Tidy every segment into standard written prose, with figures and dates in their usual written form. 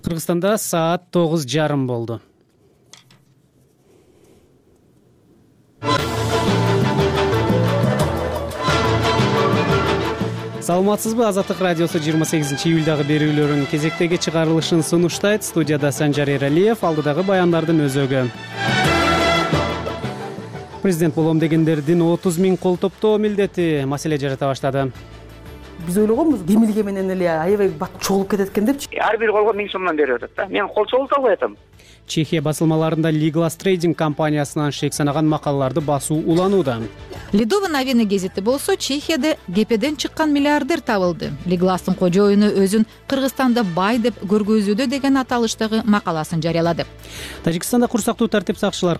Кыргызстанда саат 9:30 болду. Саламатсызбы? Азаттык радиосу 28-июлдагы берүүлөрүнүн кезектеги чыгарылышын сунуштайт. Студияда Санжар Эралиев, алдыдагы баяндардын өзөгү. Президент болом дегендердин 30 000 кол топтоо милдети маселе жарата баштады. Биз ойлогонбуз демилге менен эле аябай бат чогулуп кетет экен депчи. Ар бир колго 1000 сомдон берип атат да. Мен кол чогулта албай атам. Чехия басылмаларында Legal Trading компаниясынан шек санаган макалаларды басуу уланууда. Ледовый новины газети болсо Чехияда ГПден чыккан миллиардер табылды. Лигластын кожоюну өзүн Кыргызстанда бай деп көргөзүүдө деген аталыштагы макаласын жарыялады. Тажикстанда курсактуу тартип сакчыларды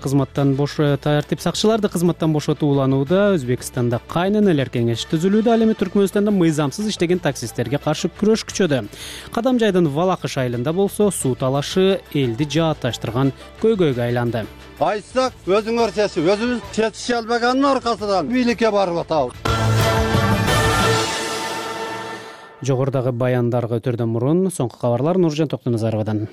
кызматтан бошотуу уланууда. Өзбекстанда кайненелер кеңеши түзүлүүдө. Ал эми Түркмөнстанда мыйзамсыз иштеген таксисттерге каршы күрөш күчөдө. Кадамжайдын Валакыш айылында болсо суу талашы элди жаатташтырган көйгөйгө айланды. Айтсак, өзүңөр чечип, өзүбүз чечише албаганын аркасынан бийликке барып атабыз. Жогорудагы баяндарга өтөрдөн мурун соңку кабарлар Нуржан Токтоназаровадан.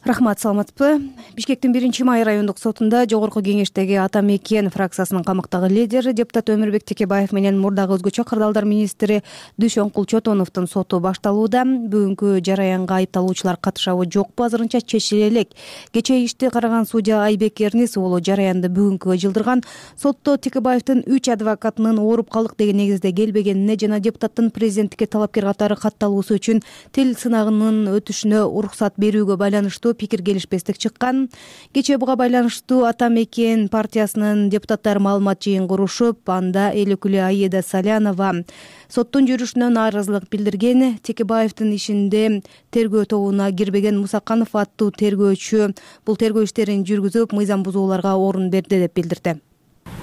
Рахмат, саламатсызбы? Бишкектин 1-Май райондук сотунда жогорку кеңештеги Ата Мекен фракциясынын камактагы лидери депутат Өмүрбек Текебаев менен мурдагы өзгөчө кырдаалдар министри Дүйшөнкул Чотоновдун соту башталууда. Бүгүнкү жараянга айыпталуучулар катышабы жокпу азырынча чечиле элек. Кечээ ишти караган судья Айбек Эрнис уулу жараянды бүгүнкүгө жылдырган. Сотто Текебаевдин 3 адвокатынын ооруп калдык деген негизде келбегенине жана депутаттын президенттикке талапкер катары катталуусу үчүн тил сынагынын өтүшүнө уруксат берүүгө байланыштуу пикир келишпестик чыккан. Кечээ буга байланыштуу Ата Мекен партиясынын депутаттары маалымат жыйын курушуп, анда эл өкүлү Аида Салянова соттун жүрүшүнө нааразылык билдирген. Текебаевдин ишинде тергөө тобуна кирбеген Мусаканов аттуу тергөөчү бул тергөө иштерин жүргүзүп, мыйзам бузууларга орун берди деп билдирди.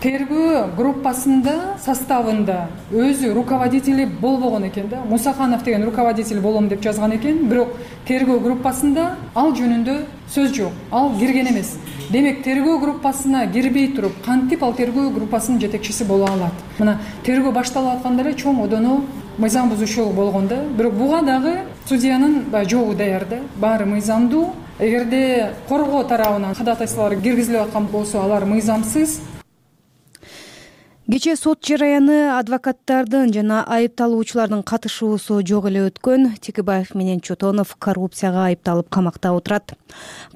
Тергөө группасында составында өзү руководители болбогон экен да. Мусаканов деген руководитель болом деп жазган экен, бирок тергөө группасында ал жөнүндө сөз жок. Ал кирген эмес. Демек, тергөө группасына кирбей туруп, кантип ал тергөө группасынын жетекчиси боло алат? Мына тергөө башталып атканда эле чоң одоно мыйзам бузуучулук болгон да. Бирок буга дагы судьянын жообу даяр да. Баары мыйзамдуу. Эгерде коргоо тарабынан кадатайсалар киргизилип аткан болсо, алар мыйзамсыз. Кечээ сот жараяны адвокаттардын жана айыпталуучулардын катышуусу жок эле өткөн. Текебаев менен Чотонов коррупцияга айыпталып камакта отурат.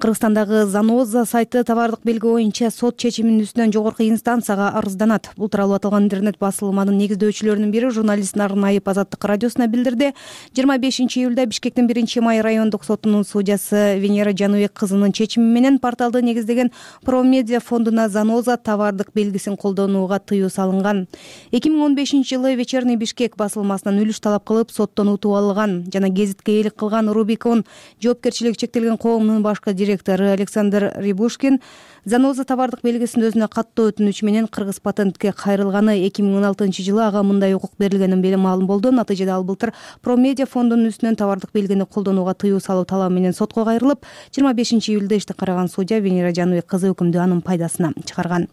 Кыргызстандагы Заноза сайты товардык белги боюнча сот чечиминин үстүнөн жогорку инстанцияга арызданат. Бул тууралуу аталган интернет басылманын негиздөөчүлөрүнүн бири журналист Нарын Айып Азаттык радиосуна билдирди. 25-июлда Бишкектин 1-Май райондук сотунун судьясы Венера Жаныбек кызынын чечими менен порталды негиздеген Промедиа фондуна Заноза товардык белгисин колдонууга тыюу салынган. 2015-жылы Вечерний Бишкек басылмасынан үлүш талап кылып соттон утуп алган жана гезитке ээлик кылган Рубикон жоопкерчилиги чектелген коомунун башкы директору Александр Рябушкин Заноза товардык белгисин өзүнө каттоо өтүнүч менен Кыргыз патентке кайрылганы 2016-жылы ага мындай укук берилгенин маалым болду. Натыйжада ал былтыр Промедиа фондунун үстүнөн товардык белгини колдонууга тыюу салуу талабы менен сотко кайрылып, 25-июлда ишти караган судья Венера Жаныбек кызы өкүмдү анын пайдасына чыгарган.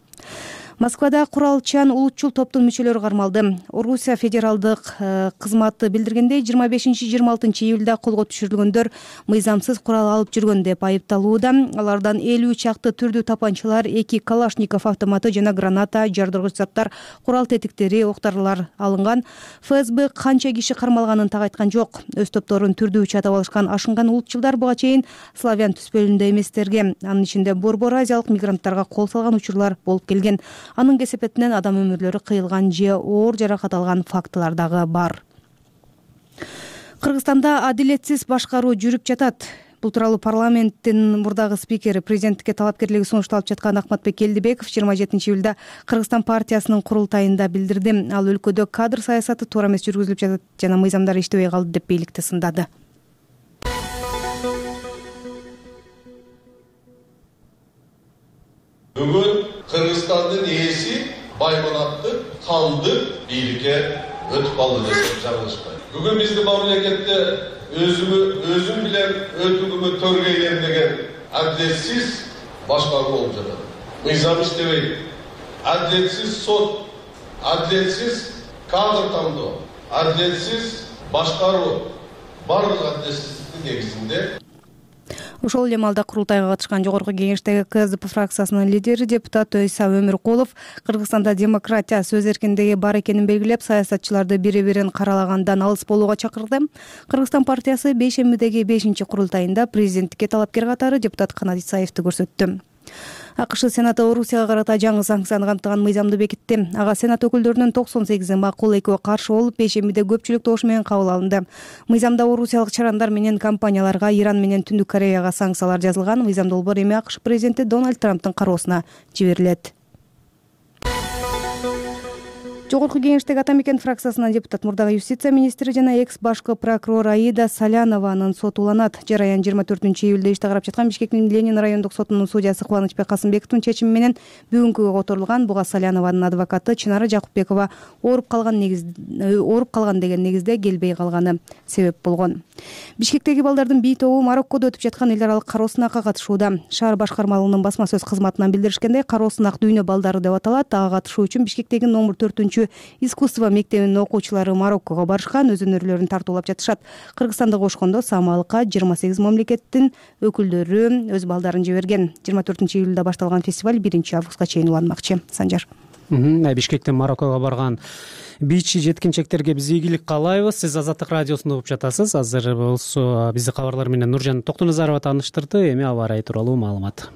Москвада куралчан улутчул топтун мүчөлөрү кармалды. Орусия федералдык кызматы билдиргендей, 25-26-июлда колго түшүрүлгөндөр мыйзамсыз курал алып жүргөн деп айыпталууда. Алардан 50 чакты түрдүү тапанчалар, 2 Калашников автоматы жана граната, жардыргыч заттар, курал тетиктери, октарлар алынган. ФСБ канча киши кармалганын так айткан жок. Өз топторун түрдүү чатап алышкан ашынган улутчулдар буга чейин славян түспөлүндө эместерге, анын ичинде борбор азиялык мигранттарга кол салган учурлар болуп келген. Анын кесепетинен адам өмүрлөрү кыйылган же оор жаракат алган фактылар дагы бар. Кыргызстанда адилетсиз башкаруу жүрүп жатат. Бул тууралуу парламенттин мурдагы спикери, президенттикке талапкерлиги сунушталып жаткан Акматбек Келдибеков 27-июлда Кыргызстан партиясынын курултайында билдирди. Ал өлкөдө кадр саясаты туура эмес жүргүзүлүп жатат жана мыйзамдар иштебей калды деп бийликти сындады. Бүгүн Кыргызстандын ээси байманатты кандык бийликке өтүп калды десек жаңылышпайт. Бүгүн биздин мамлекетте өзүм билен өтүгүмө төргөйгөн деген адилетсиз башкаруу болуп жатат. Мыйзам иштебейт. Адилетсиз сот, адилетсиз кадр тандоо, адилетсиз башкаруу барлык адилетсиздиктин негизинде Ошол эле маалда курултайга катышкан жогорку кеңештеги КСДП фракциясынын лидери депутат Ыйса Өмүркулов Кыргызстанда демократия, сөз эркиндиги бар экенин белгилеп, саясатчыларды бири-бирин каралагандан алыс болууга чакырды. Кыргызстан партиясы бейшембидеги 5-чи курултайында президенттикке талапкер катары депутат Канат Исаевди көрсөттү. АКШ Сенаты Орусияга карата жаңы санкцияны камтыган мыйзамды бекитти. Ага Сенат өкүлдөрүнүн 98 макул, 2 каршы болуп, бейшембиде көпчүлүк добуш менен кабыл алынды. Мыйзамда орусиялык чарандар менен компанияларга Иран менен Түндүк Кореяга санкциялар жазылган. Мыйзам долбоор эми АКШ президенти Дональд Трамптын кароосуна жиберилет. Жогорку кеңештеги Ата Мекен фракциясынын депутат мурдагы юстиция министри жана экс башкы прокурор Аида Салянованын соту уланат. Жараян 24-июлда ишти карап жаткан Бишкектин Ленин райондук сотунун судьясы Кубанычбек Касымбековдун чечими менен бүгүнкүгө которулган. Буга Салянованын адвокаты Чынара Жакупбекова ооруп калган деген негизде келбей калганы себеп болгон. Бишкектеги балдардын бий тобу Мароккодо өтүп жаткан эл аралык кароо сынакка катышууда. Шаар башкармалыгынын басма сөз кызматынан билдиришкендей, кароо сынак дүйнө балдары деп аталат. Ага катышуу үчүн Бишкектеги номер 4 искусство мектебинин окуучулары Мароккого барышкан, өзүнөрлөрүн тартуулап жатышат. Кыргызстанды кошкондо самалыкка 28 мамлекеттин өкүлдөрү өз балдарын жиберген. 24-июлда башталган фестиваль 1-августка чейин уланмакчы. Санжар. Бишкектен Мароккого барган бийчи жеткинчектерге биз ийгилик каалайбыз. Сиз Азаттык радиосунда угуп жатасыз. Азыр болсо бизди кабарлар менен Нуржан Токтоназарова тааныштырды. Эми аба ырайы тууралуу маалымат.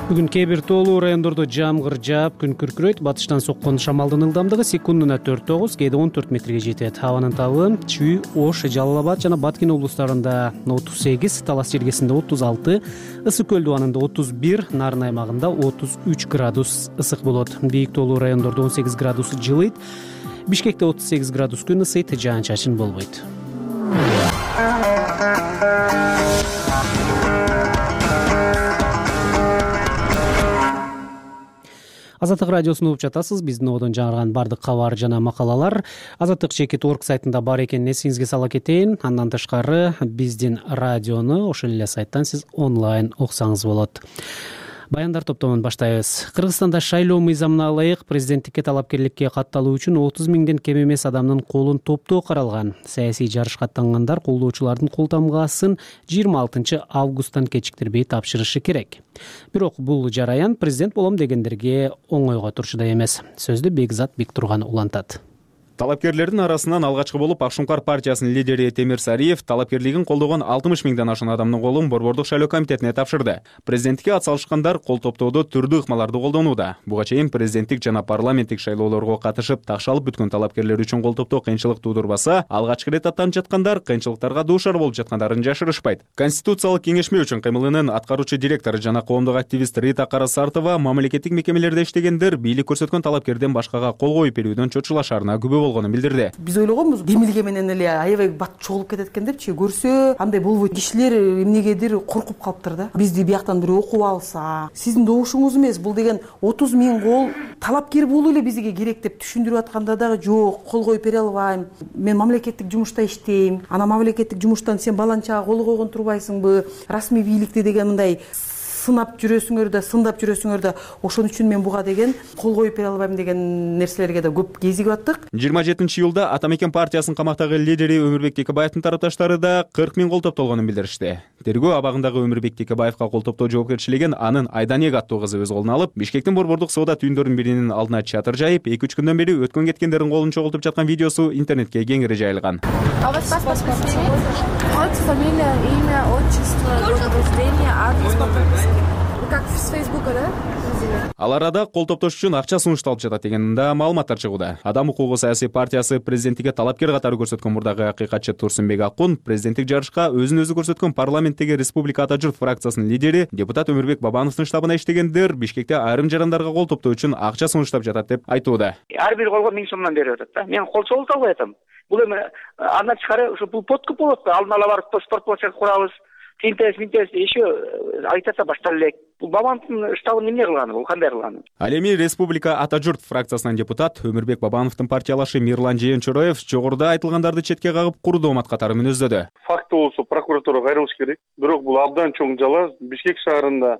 Бүгүн кээ бир тоолуу райондордо жамгыр жаап, күн күркүрөйт. Батыштан соккон шамалдын ылдамдыгы секундуна 4-9, кээде 14 метрге жетет. Абанын табы Чүй, Ош, Жалал Абад жана Баткен облустарында 38, Талас Жергесинде 36, Ысык Көл дубанында 31, Нарын аймагында 33 градус ысык болот. Бийик тоолуу райондордо 18 градус жылыйт. Бишкекте 38 градус күн ысыйт, жаан-чачын болбойт. Азаттык радиосун угуп жатасыз. Биздин одон жаңырган бардык кабар жана макалалар azattik.org сайтында бар экенин эсиңизге сала кетейин. Андан тышкары биздин радиону ошол эле сайттан сиз онлайн уксаңыз болот. Баяндар топтомун баштайбыз. Кыргызстанда шайлоо мыйзамына ылайык президенттикке талапкерликке катталуу үчүн 30 миңден кем эмес адамдын колун топтоо каралган. Саясий жарышка аттангандар колдоочулардын кол тамгаасын 26 августтан кечиктирбей тапшырышы керек. Бирок бул жараян президент болом дегендерге оңойго турчудай эмес. Сөздү Бекзат Бектурган улантат. Талапкерлердин арасынан алгачкы болуп Акшумкар партиясынын лидери Темир Сариев талапкерлигин колдогон 60 миңден ашуун адамдын колун Борбордук шайлоо комитетине тапшырды. Президенттикке ат салышкандар кол топтоодо түрдүү ыкмаларды колдонууда. Буга чейин президенттик жана парламенттик шайлоолорго катышып такшалып бүткөн талапкерлер үчүн кол топтоо кыйынчылык туудурбаса, алгачкы ирет аттанып жаткандар кыйынчылыктарга дуушар болуп жаткандарын жашырышпайт. Конституциялык кеңешме үчүн кыймылынын аткаруучу директору жана коомдук активист Рита Карасартова мамлекеттик мекемелерде иштегендер бийлик көрсөткөн талапкерден башкага кол коюп берүүдөн чочулашаарына күбө болгонун билдирди. Биз ойлогонбуз, демилге менен эле аябай бат чогулуп кетет экен депчи, көрсө андай болбойт. Кишилер эмнегедир коркуп калыптыр да. Бизди бияктан бирөө окуп алса, сиздин добушуңуз эмес, бул деген 30 миң кол талапкер болуу эле бизге керек деп түшүндүрүп атканда дагы жок, кол коюп бере албайм. Мен мамлекеттик жумушта иштейм. Ана мамлекеттик жумуштан сен баланчага кол койгон турбайсыңбы? Расмий бийликти деген мындай сындап жүрөсүңөр да ошон үчүн мен буга деген кол коюп бере албайм деген нерселерге да көп кезигип аттык. 27-июлда Ата Мекен партиясынын камактагы лидери Өмүрбек Текебаевдин тарапташтары да 40 миң кол топтолгонун билдиришти. Тергөө абагындагы Өмүрбек Текебаевга кол топтоо жоопкерчилигин анын Айданек аттуу кызы өз колуна алып, Бишкектин борбордук соода түйүндөрүнүн биринин алдына чатыр жайып, 2-3 күндөн бери өткөн кеткендердин колун чогултуп жаткан видеосу интернетке кеңири жайылган. Фамилия, имя, отчество, год рождения, адрес по прописке. Как с Фейсбука, да? Ал арада кол топтош үчүн акча сунушталып жатат деген да маалыматтар чыгууда. Адам укугу саясий партиясы президенттикке талапкер катары көрсөткөн мурдагы акыйкатчы Турсунбек Акун президенттик жарышка өзүн өзү көрсөткөн парламенттеги Республика Ата журт фракциясынын лидери депутат Өмүрбек Бабановдун штабына иштегендер Бишкекте айрым жарандарга кол топтоо үчүн акча сунуштап жатат деп айтууда. Ар бир колго 1000 сомдон берип атат да. Мен кол чогулта албай атам. Бул эми андан тышкары ушу бул подкуп болот го. Алдын ала барып спортплощадь курабыз. Тинтес еще айтаса баштап элек. Бул Бабановдун штабын эмне кылганы, бул кандай кылганы? Ал эми Республика Ата журт фракциясынын депутат Өмүрбек Бабановдун партиялашы Мирлан Жээнчороев жогоруда айтылгандарды четке кагып куру доомат катары мүнөздөдү. Факты болсо прокуратурага кайрылыш керек. Бирок бул абдан чоң жала. Бишкек шаарында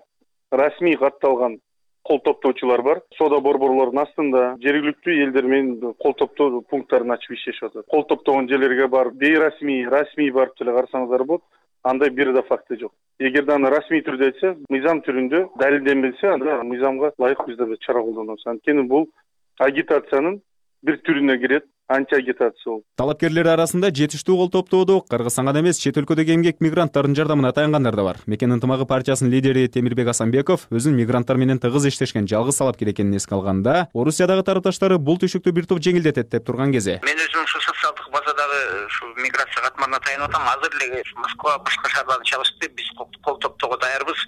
расмий катталган кол топтоочулар бар. Соода борборлорунун астында жергиликтүү элдер менен кол топтоо пункттарын ачып иштешип атат. Кол топтогон жерлерге барып бейрасмий, расмий барып деле карасаңыздар болот. Андай бир да факты жок. Эгерде аны расмий түрдө айтса, мыйзам түрүндө далилденбесе, анда мыйзамга ылайык биз да чара колдонобуз. Анткени бул агитациянын бир түрүнө кирет. Антиагитация. Талапкерлер арасында жетиштүү кол топтоодо Кыргызстанга эмес, чет өлкөдөгү эмгек мигранттардын жардамына таянгандар да бар. Мекен ынтымагы партиясынын лидери Темирбек Асанбеков өзүн мигранттар менен тыгыз иштешкен жалгыз талапкер экенин эске алганда, Орусиядагы тарапташтары бул түйшүктү бир топ жеңилдетет деп турган кези. Мен өзүм ушу социалдык базадагы ушу миграция катмарына таянып атам. Азыр эле Москва башка шаарларда чалышты. Биз кол топтоого даярбыз.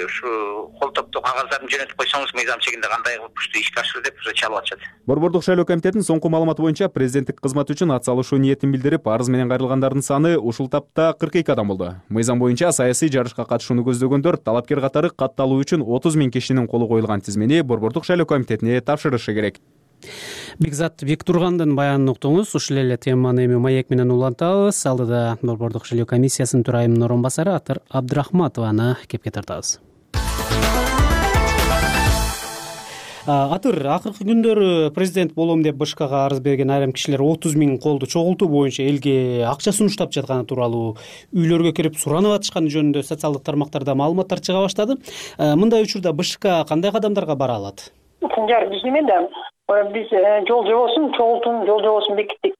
Ушу кол топтоо кагаздарын жөнөтүп койсоңуз, мыйзам чегинде кандай кылып ушул ишке ашырды деп уже чалып атышат. Борбордук шайлоо комитетинин соңку маалыматы боюнча президенттик кызмат үчүн ат салышуу ниетин билдирип, арыз менен кайрылгандардын саны ушул тапта 42 адам болду. Мыйзам боюнча саясий жарышка катышууну көздөгөндөр талапкер катары катталуу үчүн 30 000 кишинин колу коюлган тизмени Борбордук шайлоо комитетине тапшырышы керек. Бекзат Бектургандын баянын уктуңуз. Ушул эле теманы эми маек менен улантабыз. Алдыда Борбордук шайлоо комиссиясынын төрайымынын орун басары Атыр Абдрахматованы кепке тартабыз. Атыр, акыркы күндөрү президент болом деп БШКга арыз берген айрым кишилер 30 000 колду чогултуу боюнча элге акча сунуштап жатканы тууралуу, үйлөргө кирип суранып атышканы жөнүндө социалдык тармактарда маалыматтар чыга баштады. Мындай учурда БШК кандай кадамдарга бара алат? Санжар, биз немеде? Биз жол жобосун, чогултуунун жол жобосун бекиттик.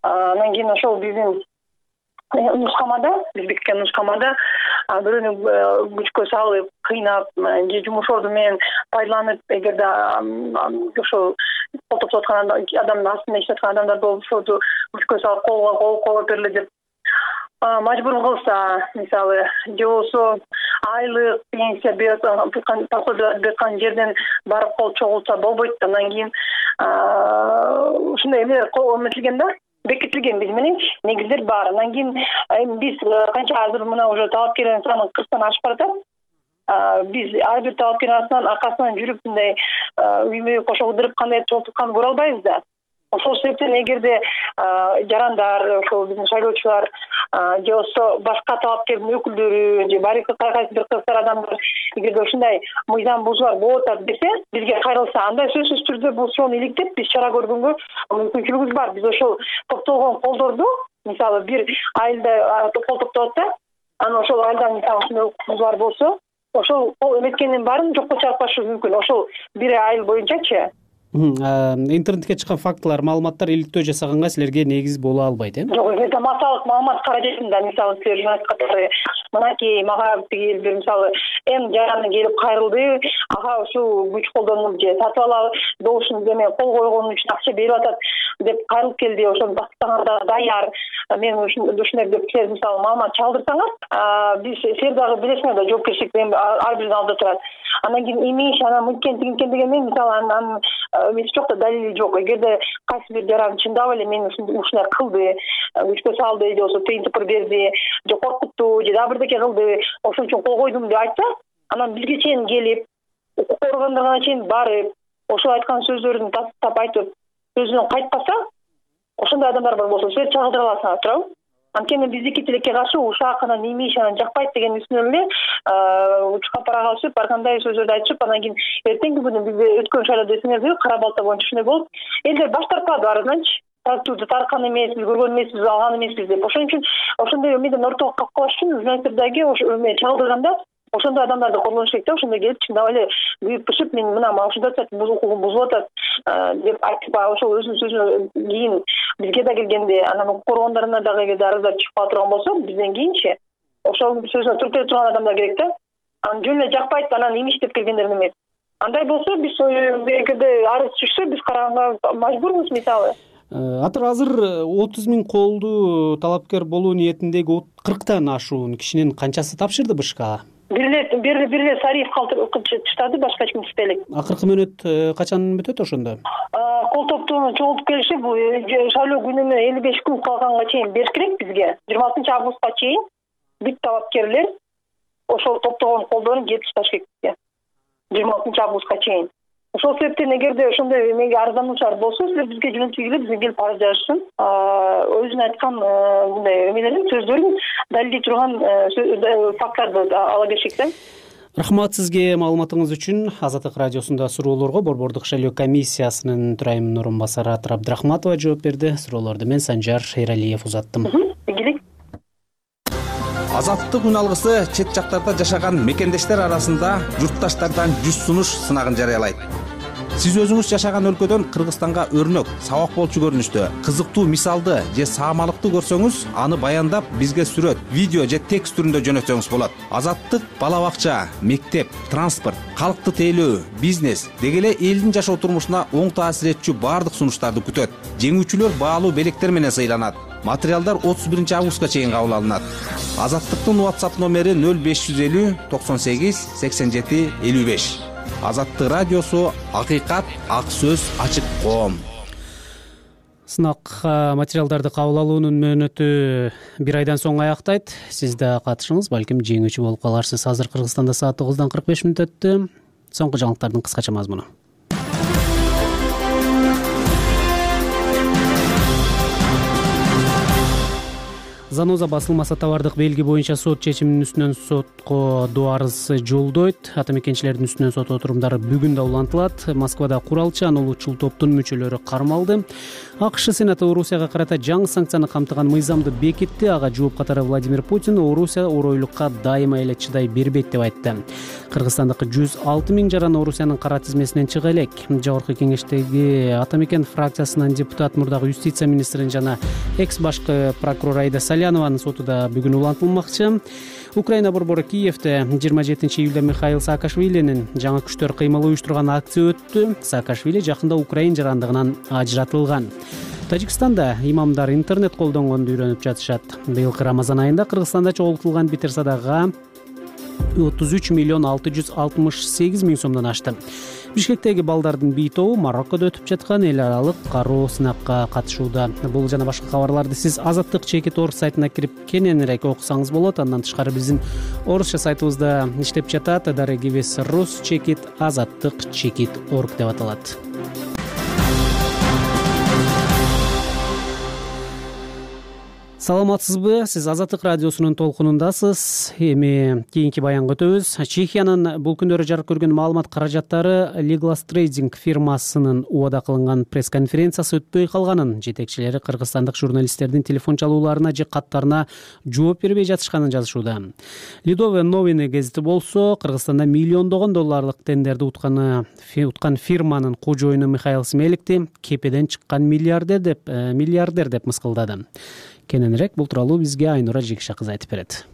Анан кийин ошол биздин нускамада, биз бекиткен нускамада бирөөнү күчкө салып, кыйнап, же жумуш орду менен пайдаланып, эгерде ошол кол топтоп аткан адамдын астында иштеп аткан адамдар болсо, күчкө салып колго берилет деп мажбур кылса, мисалы, же болбосо айлык, пенсия берген жерден барып кол чогултса болбойт. Андан кийин ушундай эмелер эметилген да, бекитилген биз мененчи, негиздер бар. Андан кийин биз канча азыр мына уже талапкерлердин саны 40тан ашып баратат. Биз ар бир талапкердин аркасынан жүрүп мындай үймө кошо кыдырып кандай чогултканын көрө албайбыз да. Ошол себептен эгерде жарандар, ошол биздин шайлоочулар же болбосо башка талапкердин өкүлдөрү же кайсы бир кыздар адамдар эгерде ушундай мыйзам бузуулар болуп атат десе, бизге кайрылса, андай сөзсүз түрдө бул суроonu иликтеп биз чара көргөнгө мүмкүнчүлүгүбүз бар. Биз ошол топтолгон колдорду, мисалы, бир айылда кол топтоп атса, анан ошол айылдан мисалы ушундай бузуулар болсо, ошол кол эметкендин баарын жокко чыгарып башы мүмкүн. Ошол бир айыл боюнчачы. Интернетке чыккан фактылар, маалыматтар иликтөө жасаганга силерге негиз боло албайт, э? Жок, эми массалык маалымат каражатында, мисалы, силер журналист катары мынакей мага тиги бир мисалы эң жараны келип кайрылды, ага ушул күч колдонуп же сатып алалы добушун эме кол койгон үчүн акча берип атат деп кайрылып келди, ошону басканга даяр. Мен ушундай деп силер мисалы маалымат чалдырсаңар, биз силер дагы билесиңер да, жоопкерчилик ар биринин алдында турат. Андан кийин имиш, анан мынткен тигинткен деген мен мисалы анан эмеси жок да, далили жок. Эгерде кайсы бир жаран чындап эле мен ушундай кылды, күчкө салды, же болбосо тыйын тыпыр берди, же коркутту, же дагы бирдеке кылды, ошон үчүн кол койдум деп айтса, анан бизге чейин келип, укук органдарына чейин барып, ошол айткан сөздөрүн тастап айтып, сөзүнөн кайтпаса, ошондой адамдар бар болсо, силер чагылдыра аласыңар, туурабы? Анткени биздики тилекке каршы ушак анан имиш анан жакпайт деген үстүнөн эле учка парага алышып, ар кандай сөздөрдү айтышып, анан кийин эртеңки күнү бизде өткөн шайлоодо эсиңердеби, Кара Балта боюнча ушундай болуп, элдер баш тартпады арызданчы. Тартууду тарткан эмеспиз, көргөн эмеспиз, алган эмеспиз деп. Ошон үчүн ошондой эмеден ортого калып калыш үчүн журналисттер дагы ошо эме чагылдырганда ошондой адамдарды колдонуш керек да, ошондой келип чындап эле күйүп пышып, мен мына ушундай укугум бузулуп атат деп айтып, ошол өзүнүн сөзүнөн кийин бизге да келгенде, анан укук органдарына дагы эгерде арыздар чыгып кала турган болсо, бизден кийинчи ошол сөзүнө туруп келе турган адамдар керек да. Анан жөн эле жакпайт, анан имиш деп келгендер эмес. Андай болсо, биз эгерде арыз түшсө, биз караганга мажбурбуз, мисалы. Атыр, азыр 30 000 колду талапкер болуу ниетиндеги 40тан ашуун кишинин канчасы тапшырды БШКга? Бир эле Сариев чыштады, башка эч ким чыкпай элек. Акыркы мөөнөт качан бүтөт ошондо? Кол топтоону чогултуп келишип, бул шайлоо күнүнө 55 күн калганга чейин бериш керек бизге. 26 августка чейин бүт талапкерлер ошол топтогон колдорун жетип ташташ керек бизге. 26 августка чейин. Ошол себептен эгерде ошондой эмеге арыздануучулар болсо, силер бизге жөнөтүп бизге келип арыз жазышсын. Өзүнүн айткан мындай эмелерин, сөздөрүн далилдей турган факттарды ала беришик да. Рахмат сизге маалыматыңыз үчүн. Азаттык радиосунда суроолорго Борбордук шайлоо комиссиясынын төрайымынын орун басары Атыр Абдрахматова жооп берди. Суроолорду мен Санжар Эралиев узаттым. Азаттык үн алгысы чет жактарда жашаган мекендештер арасында журтташтардан 100 сунуш сынагын жарыялайт. Сиз өзүңүз жашаган өлкөдөн Кыргызстанга өрнөк, сабак болчу көрүнүштө, кызыктуу мисалды же саамалыкты көрсөңүз, аны баяндап бизге сүрөт, видео же текст түрүндө жөнөтсөңүз болот. Азаттык бала бакча, мектеп, транспорт, калкты тейлөө, бизнес деги эле элдин жашоо турмушуна оң таасир этчү баардык сунуштарды күтөт. Жеңүүчүлөр баалуу белектер менен сыйланат. Материалдар 31 августка чейин кабыл алынат. Азаттыктын WhatsApp номери 0550 98 87 55. Азаттык радиосу акыйкат, ак сөз, ачык коом. Сынак материалдарды кабыл алуунун мөөнөтү 1 айдан соң аяктайт. Сиз да катышыңыз, балким жеңүүчү болуп каларсыз. Азыр Кыргызстанда саат 9:45 өттү. Соңку жаңылыктардын кыскача мазмуну. Заноза басылмаса товардык белги боюнча сот чечиминин үстүнөн сотко доо арыз жолдойт. Ата мекенчилердин үстүнөн сот отурумдары бүгүн да улантылат. Москвада куралчы анулуучул топтун мүчөлөрү кармалды. АКШ Сенаты Орусияга карата жаңы санкцияны камтыган мыйзамды бекитти. Ага жооп катары Владимир Путин Орусия оройлукка дайыма эле чыдай бербейт деп айтты. Кыргызстандагы 106 миң жаран Орусиянын кара тизмесинен чыга элек. Жогорку кеңештеги Ата мекен фракциясынын депутат мурдагы юстиция министрин жана экс башкы прокурор Айда Салянованын соту да бүгүн улантылмакчы. Украина борбору Киевде 27 июлда Михаил Саакашвилинин жаңы күчтөр кыймыл уюштурган акция өттү. Саакашвили жакында Украин жарандыгынан ажыратылган. Тажикстанда имамдар интернет колдонгонду үйрөнүп жатышат. Быйылкы Рамазан айында Кыргызстанда чогултулган битир садака 33 миллион 668 миң сомдон ашты. Бишкектеги балдардын бий тобу Мароккодо өтүп жаткан эл аралык кароо сынакка катышууда. Бул жана башка кабарларды сиз Азаттык.org сайтына кирип кененирээк окусаңыз болот. Андан тышкары биздин орусча сайтыбызда иштеп жатат. Дарегивес Рус чекит Азаттык.org деп аталат. Саламатсызбы? Сиз Азаттык радиосунун толкунундасыз. Эми кийинки баянга өтөбүз. Чехиянын бул күндөрү жарык көргөн маалымат каражаттары Liglas Trading фирмасынын убада кылынган пресс-конференциясы өтпөй калганын жетекчилери кыргызстандык журналисттердин телефон чалууларына же каттарына жооп бербей жатышканын жазышууда. Lidove Noviny гезити болсо, Кыргызстанда миллиондогон долларлык тендерди уткан фирманын кожоюну Михаил Смеликти кепеден чыккан миллиардер деп мыскылдады. Кененирээк бул тууралуу бизге Айнура Жекша кызы айтып берет.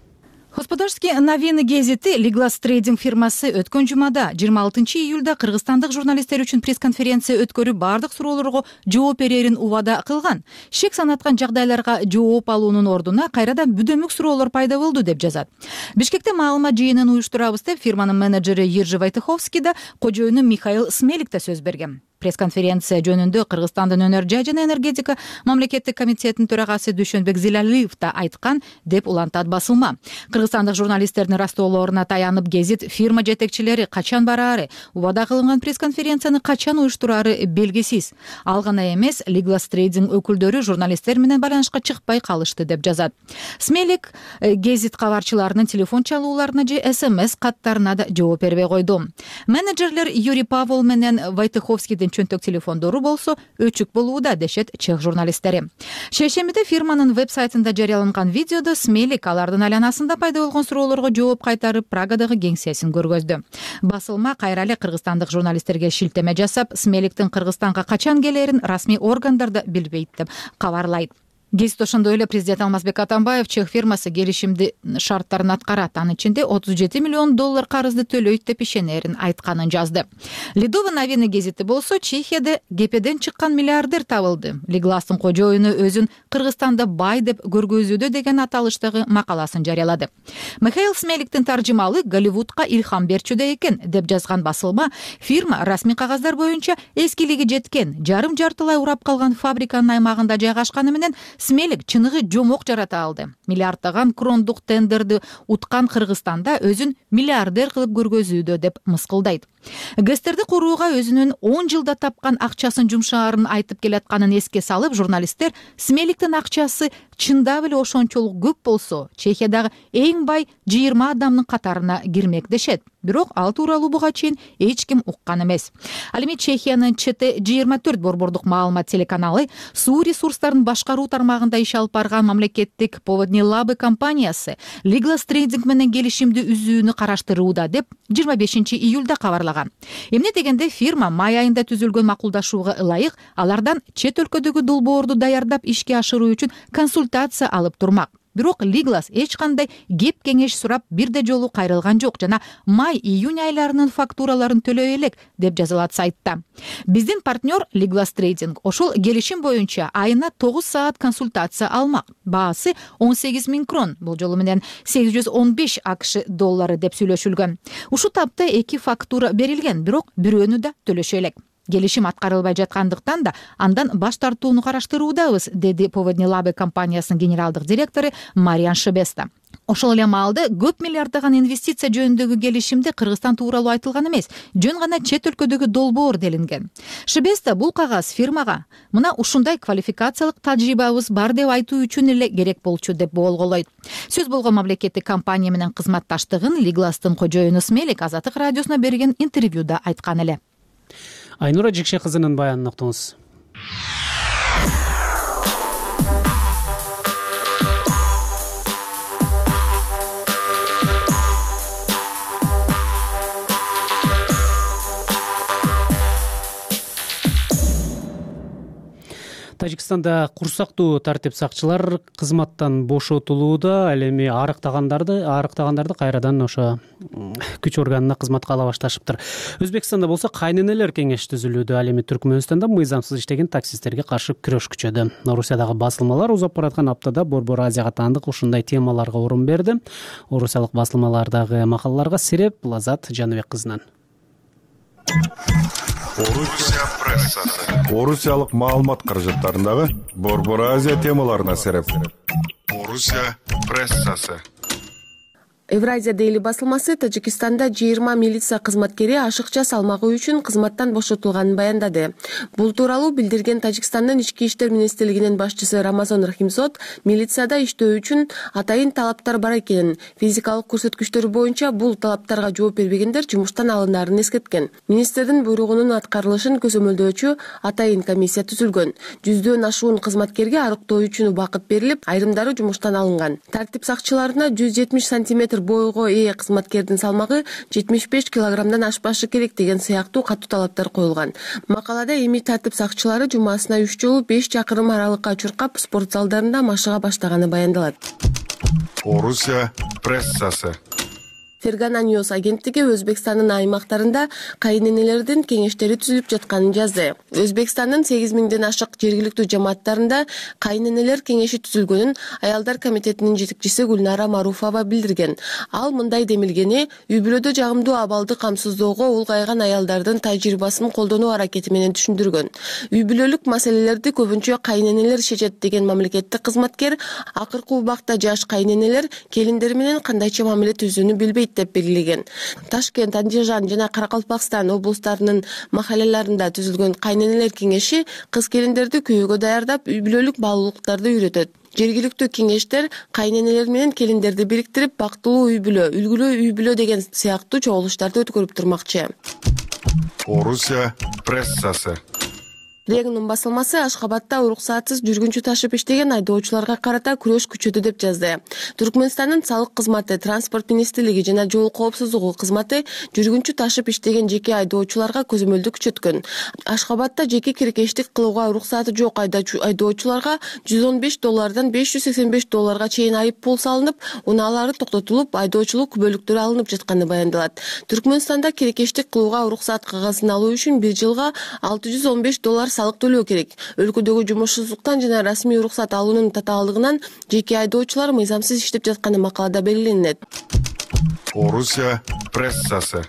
Господарские новины гезити Liglas Trading фирмасы өткөн жумада 26 июлда кыргызстандык журналисттер үчүн пресс-конференция өткөрүп бардык суроолорго жооп берерин убада кылган. Шек санаткан жагдайларга жооп алуунун ордуна кайрадан бүдөмүк суроолор пайда болду деп жазат. Бишкекте маалымат жыйынын уюштурабыз деп фирманын менеджери Ержи Вайтыховский да кожоюну Михаил Смелик да сөз берген. Пресс-конференция жөнүндө Кыргызстандын өнөр жай жана энергетика мамлекеттик комитетинин төрагасы Дүйшөнбек Зилалиев да айткан деп улантат басылма. Кыргызстандык журналисттердин растоолоруна таянып гезит фирма жетекчилери качан бараары, убада кылынган пресс-конференцияны качан уюштурары белгисиз. Ал гана эмес, Liglas Trading өкүлдөрү журналисттер менен байланышка чыкпай калышты деп жазат. Смелик гезит кабарчыларынын телефон чалууларына же SMS каттарына да жооп бербей койду. Менеджерлер Юрий Павел менен Вайтыховскийдин чөнтөк телефондору болсо өчүк болууда, дешет чех журналисттери. Шейшембиде фирманын веб-сайтында жарыяланган видеодо Смелик алардын айланасында пайда болгон суроолорго жооп кайтарып Прагадагы кеңсесин көргөздү. Басылма кайра эле кыргызстандык журналисттерге шилтеме жасап, Смеликтин Кыргызстанга качан келерин расмий органдар да билбейт деп кабарлайт. Гезит ошондой эле президент Алмазбек Атамбаев чех фирмасы келишимди шарттарын аткарат, анын ичинде 37 миллион доллар карызды төлөйт деп ишенерин айтканын жазды. Lidove Noviny гезити болсо, Чехияда кепеден чыккан миллиардер табылды. Liglas'тын кожоюну өзүн Кыргызстанда бай деп көргөзүүдө деген аталыштагы макаласын жарыялады. Михаил Смеликтин таржымалы Голливудка илхам берчүдөй экен деп жазган басылма, фирма расмий кагаздар боюнча эскилиги жеткен, жарым-жартылай урап калган фабриканын аймагында жайгашканы менен Смелик чыныгы жомок жарата алды. Миллиарддаган крондук тендерди уткан Кыргызстанда өзүн миллиардер кылып көргөзүүдө деп мыскылдайт. гэстерди курууга өзүнүн 10 жылда тапкан акчасын жумшаарын айтып келатканын эске салып, журналисттер Смеликтин акчасы чындап эле ошончолук көп болсо, Чехиядагы эң бай 20 адамдын катарына кирмек дешет. Бирок ал тууралуу буга чейин эч ким уккан эмес. Ал эми Чехиянын ЧТ-24 борбордук маалымат телеканалы суу ресурстарын башкаруу тармагында иш алып барган мамлекеттик Поводни Лабы компаниясы Liglas Trading менен келишимди үзүүнү караштырууда деп 25 июлда кабарлаган. Эмне дегенде фирма май айында түзүлгөн макулдашууга ылайык алардан чет өлкөдөгү долбоорду даярдап ишке ашыруу үчүн консультация алып турмак. Бирок Liglas эч кандай кеп кеңеш сурап бирде жолу кайрылган жок жана май-июнь айларынын фактураларын төлөй элек деп жазылат сайтта. Биздин партнер Liglas Trading ошол келишим боюнча айына 9 саат консультация алмак. Баасы 18 000 крон, бул жолу менен 815 АКШ доллары деп сүйлөшүлгөн. Ушул тапта 2 фактура берилген, бирок бирөөнү да төлөшө элек. Келишим аткарылбай жаткандыктан да андан баш тартууну караштыруудабыз, деди Поводни Лабы компаниясынын генералдык директору Мариан Шебеста. Ошол эле маалда көп миллиарддаган инвестиция жөнүндөгү келишимде Кыргызстан тууралуу айтылган эмес, жөн гана чет өлкөдөгү долбоор делинген. Шебеста бул кагаз фирмага мына ушундай квалификациялык тажрыйбабыз бар деп айтуу үчүн эле керек болчу деп болголойт. Сөз болгон мамлекеттик компания менен кызматташтыгын Liglastын кожоюну Смелик Азаттык радиосуна берген интервьюда айткан эле. Айнура Жикше кызынын баянын уктуңуз. Тажикстанда курсактуу тартип сакчылар кызматтан бошотулууда. Ал эми арыктагандарды кайрадан ошо күч органына кызматка ала башташыптыр. Өзбекстанда болсо кайненелер кеңеши түзүлүүдө. Ал эми Түркмөнстанда мыйзамсыз иштеген таксисттерге каршы күрөш күчөдү. Орусиядагы басылмалар узап бараткан аптада Борбор Азияга таандык ушундай темаларга орун берди. Орусиялык басылмалардагы макалаларга Сереп Лазат Жаныбек кызынан. Орусия прессасы. Орусиялык маалымат каражаттарындагы Борбор Азия темаларына сереп. Орусия прессасы. Евразия Дейли басылмасы Тажикстанда 20 милиция кызматкери ашыкча салмагы үчүн кызматтан бошотулганын баяндады. Бул тууралуу билдирген Тажикстандын ички иштер министрлигинин башчысы Рамазан Рахимзод милицияда иштөө үчүн атайын талаптар бар экенин, физикалык көрсөткүчтөр боюнча бул талаптарга жооп бербегендер жумуштан алынаарын эскерткен. Министрдин буйругунун аткарылышын көзөмөлдөөчү атайын комиссия түзүлгөн. 100дөн ашуун кызматкерге арыктоо үчүн убакыт берилип, айрымдары жумуштан алынган. Тартип сакчыларына 170 сантиметр бойго ээ кызматкердин салмагы 75 килограммдан ашпашы керек деген сыяктуу катуу талаптар коюлган. Макалада эми тартип сакчылары жумасына 3 жолу 5 чакырым аралыкка чуркап спорт залдарында машыга баштаганы баяндалат. Орусия прессасы. Фергана Ньюс агенттиги Өзбекстандын аймактарында кайненелердин кеңештери түзүлүп жатканын жазды. Өзбекстандын 8000ден ашык жергиликтүү жамааттарында кайненелер кеңеши түзүлгөнүн аялдар комитетинин жетекчиси Гүлнара Маруфова билдирген. Ал мындай демилгени үй бүлөдө жагымдуу абалды камсыздоого улгайган аялдардын тажрыйбасын колдонуу аракети менен түшүндүргөн. Үй бүлөлүк маселелерди көбүнчө кайненелер шешет деген мамлекеттик кызматкер акыркы убакта жаш кайненелер келиндер менен кандайча мамиле түзүүнү билбейт деп белгилеген. Ташкент, Андижан жана Каракалпакстан облустарынын махаллаларында түзүлгөн кайненелер кеңеши кыз келиндерди күйөөгө даярдап, үй бүлөлүк баалуулуктарды үйрөтөт. Жергиликтүү кеңештер кайненелер менен келиндерди бириктирип, бактылуу үй бүлө, үлгүлүү үй бүлө деген сыяктуу чогулуштарды өткөрүп турмакчы. Орусия прессасы. Регнум басылмасы Ашхабадда уруксатсыз жүргүнчү ташып иштеген айдоочуларга карата күрөш күчөдү деп жазды. Түркмөнстандын салык кызматы, транспорт министрлиги жана жол коопсуздугу кызматы жүргүнчү ташып иштеген жеке айдоочуларга көзөмөлдү күчөткөн. Ашхабадда жеке киркештик кылууга уруксаты жок айдоочуларга $115 $585 чейин айып пул салынып, унаалары токтотулуп, айдоочулук күбөлүктөрү алынып жатканы баяндалат. Түркмөнстанда киркештик кылууга уруксат кагазын алуу үчүн 1 жылга $615 салык төлөө керек. Өлкөдөгү жумушсуздуктан жана расмий уруксат алуунун татаалдыгынан жеке айдоочулар мыйзамсыз иштеп жатканы макалада белгиленет. Орусия прессасы.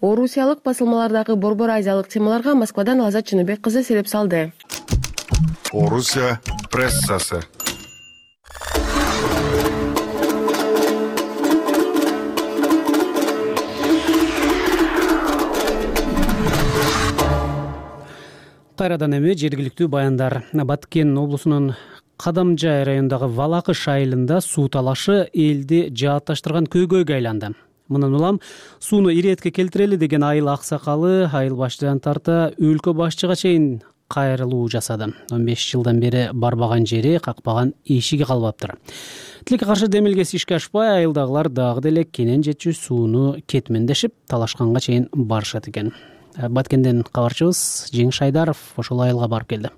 Орусиялык басылмалардагы борбор азиялык темаларга Москвадан Лазат Жаныбек кызы сереп салды. Орусия прессасы. Кайрадан эми жергиликтүү баяндар. Баткен облусунун Кадамжай районундагы Валакыш айылында суу талашы элди жаатташтырган көйгөйгө айланды. Мындан улам сууну иретке келтирели деген айыл аксакалы айыл башчыдан тарта өлкө башчыга чейин кайрылуу жасады. 15 жылдан бери барбаган жери, какпаган эшиги калбаптыр. Тилекке каршы демилгеси ишке ашпай, айылдагылар дагы деле кенен жетчү сууну кетмендешип, талашканга чейин барышат экен. Баткенден кабарчыбыз Жеңиш Айдаров ошол айылга барып келди.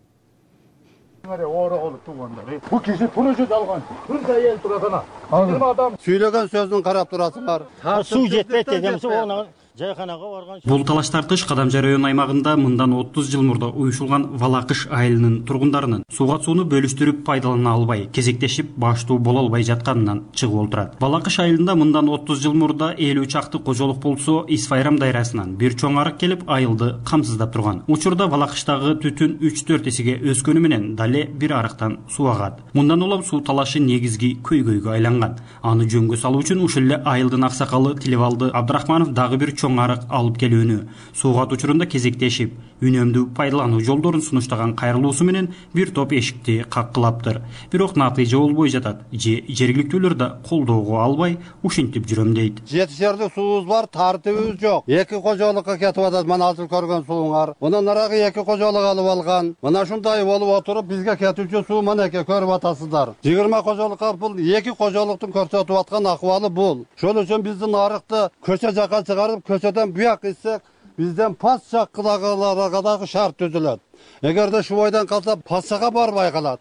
Бул киши тура жүз алган. Бир да эл турат ана. 20 адам сүйлөгөн сөзүн карап турасыңар. Суу жетпейт дегенсе, оны жайканага барган. Бул талаш тартыш Кадамжай район аймагында мындан 30 жыл мурда уюшулган Валакыш айылынын тургундарынын сууга сууну бөлүштүрүп пайдалана албай, кезектешип баштуу боло албай жатканынан чыгып олтурат. Валакыш айылында мындан 30 жыл мурда 50 чакты кожолук болсо, Исфайрам дайрасынан бир чоң арык келип айылды камсыздап турган. Учурда Валакыштагы түтүн 3-4 эсеге өскөнү менен дале бир арыктан суу агат. Мындан улам суу талашы негизги көйгөйгө айланган. Аны жөнгө салуу үчүн ушул эле айылдын аксакалы Тилибалды Абдрахманов дагы бир чоң арык алып келүүнү, суугат учурунда кезектешип, үнөмдүү пайдалануу жолдорун сунуштаган кайрылуусу менен бир топ эшикти каккылаптыр. Бирок натыйжа болбой жатат. Жергиликтүүлөр да колдоого албай, ушинтип жүрөм дейт. Жетишерлик суубуз бар, тартыбыбыз жок. Эки кожолукка кетип атат, мына азыр көргөн сууңар. Мындан нарагы эки кожолук алып алган. Мына ушундай болуп отуруп, бизге кетүүчү суу мынеке көрүп атасыздар. 20 кожолукка бул эки кожолуктун көрсөтүп аткан акыбалы бул. Ошол үчүн биздин арыкты көчө жакка чыгарып, көчөдөн буяк исек, бизден пас жаккыдагыларга дагы шарт түзүлөт. Эгерде ушул бойдон калса, пассага барбай калат.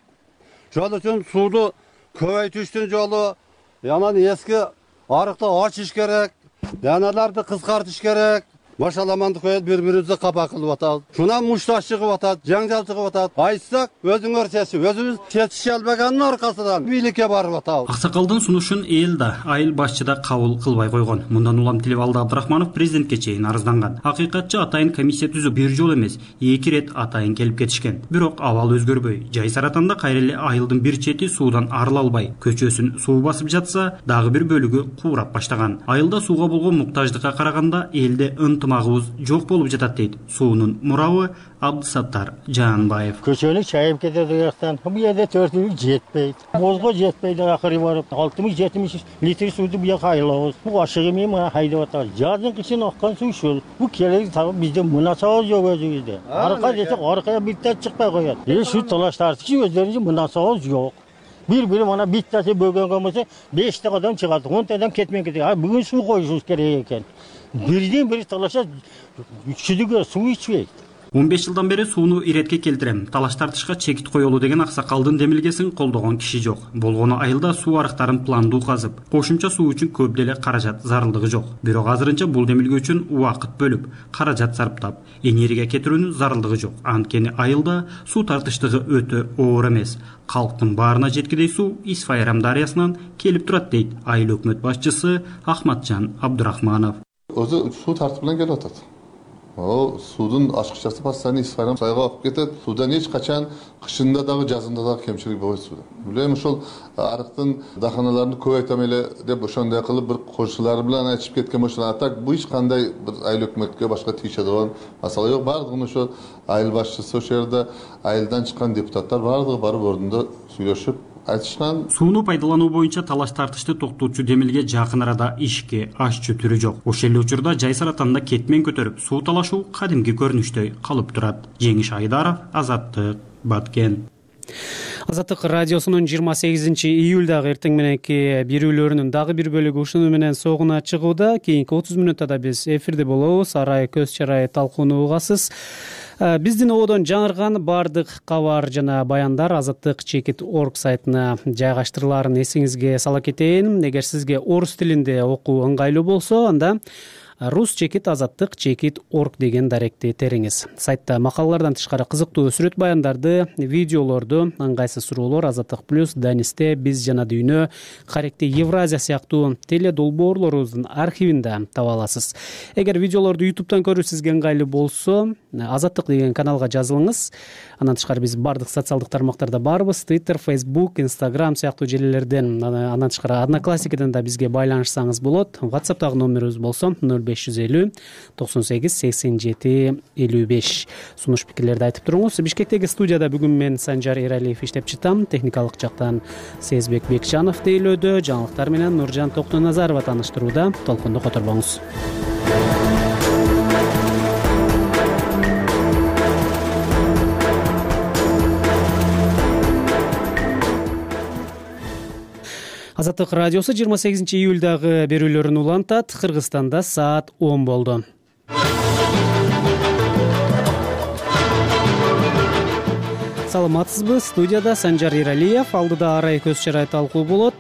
Ошол үчүн сууду көбөйтүштүн жолу, анан эски арыкты ачыш керек, даналарды кыскартыш керек. Машаламанды коюп бири-бирибизди капа кылып атабыз. Шунан мушташ чыгып атат, жаңжал чыгып атат. Айтсак, өзүңөр чечип, өзүбүз чечише албаганын аркасынан бийликке барып атабыз. Аксакалдын сунушун эл да, айыл башчы да кабыл кылбай койгон. Мындан улам Тилибалды Абдрахманов президентке чейин арызданган. Акыйкатчы атайын комиссия түзүп, бир жол эмес, 2 рет атайын келип кетишкен. Бирок абал өзгөрбөй. Жай Саратанда кайра эле айылдын бир чети суудан арыла албай, көчөсүн суу басып жатса, дагы бир бөлүгү куурап баштаган. Айылда сууга болгон муктаждыкка караганда элде ынтымагыбыз жок болуп жатат дейт суунун мурабы Абдысаттар Жанбаев. Көчөнү чайып кетет жактан. Бу жерде 4 жетпейт. Бозго жетпейди, акыры барып 60-70 литр сууду бу жака айлабыз. Бу ашыгы менен хайдап атат. Жаздын кышын аккан суу ушул. Бу керек табып бизде мунасабыз жок өзүбүздө. Арка десек аркая биттер чыкпай коет. Şu талаш тартышы өздөрүнүн мунасабыз жок. Bir mana bittasi bölgөнгө болсо 5 та адам чыгат, 10 та адам кетмей кетет. А бүгүн суу коюшубуз керек экен. Бирден бири талаша чүдүгө суу ичпейт. 15 жылдан бери сууну иретке келтирем, талаш тартышка чекит коелу деген аксакалдын демилгесин колдогон киши жок. Болгону айылда суу арыктарын пландуу казып, кошумча суу үчүн көп деле каражат зарылдыгы жок. Бирок азырынча бул демилге үчүн убакыт бөлүп, каражат сарптап, энергия кетирүүнүн зарылдыгы жок. Анткени айылда суу тартыштыгы өтө оор эмес. Калктын баарына жеткидей суу Исфайрам дарыясынан келип турат дейт айыл өкмөт башчысы Ахматжан Абдрахманов. Өзү суу тартып менен келип атат. О, судун ачкычасы постоянно Исфайрам сайга акып кетет. Судан эч качан кышында дагы жазында дагы кемчилик болбойт суда. Билем ошол арыктын даханаларын көбөйтөм эле деп ошондой кылып бир кошулары менен айтышып кеткен болчу. А так бу эч кандай бир айыл өкмөткө башка тийише болгон масала жок. Бардыгын ошо айыл башчысы, ошол жерде айылдан чыккан депутаттар бардыгы барып ордунда сүйлөшүп айтышкан. Сууну пайдалануу боюнча талаш тартышты токтотчу демилге жакын арада ишке ашчу түрү жок. Ошол эле учурда Жай Саратанда кетмен көтөрүп, суу талашуу кадимки көрүнүштөй калып турат. Жеңиш Айдаров, Азаттык, Баткен. Азаттык радиосунун 28 июлдагы эртең мененки берүүлөрүнүн дагы бир бөлүгү ушуну менен согуна чыгууда. Кийинки 30 мүнөттө биз эфирде болобуз. Арай көз чарай талкууну угасыз. Биздин ободон жаңырган бардык кабар жана баяндар Азаттык Чекит.org сайтына жайгаштырыларын эсиңизге сала кетейин. Эгер сизге орус тилинде окуу ыңгайлуу болсо, анда Рус чекит Азаттык Чекит.org деген даректи териңиз. Сайтта макалалардан тышкары кызыктуу сүрөт баяндарды, видеолорду, ыңгайсыз суроолор, Азаттык плюс, Данисте, Биз жана дүйнө, Каректи Евразия сыяктуу теле долбоорлорубуздун архивинде таба аласыз. Эгер видеолорду YouTube'дан көрүү сизге ыңгайлуу болсо, Азаттык деген каналга жазылыңыз. Андан тышкары биз бардык социалдык тармактарда барбыз. Twitter, Facebook, Instagram сыяктуу желилерден, андан тышкары Одноклассникиден да бизге байланышсаңыз болот. WhatsApp'тагы номерибиз болсо 05 0550 98 87 55. Сунуш пикирлерди айтып туруңуз. Бишкектеги студияда бүгүн мен Санжар Эралиев иштеп чыктым. Техникалык жактан Сезбек Бекчанов тейлөөдө, жаңылыктар менен Нуржан Токтоназарова тааныштырууда. Толкунду которбоңуз. Азаттык радиосу 28 июлдагы берүүлөрүн улантат. Кыргызстанда саат 10 болду. Саламатсызбы? Студияда Санжар Эралиев. Алдыда арай көз чарай талкуу болот.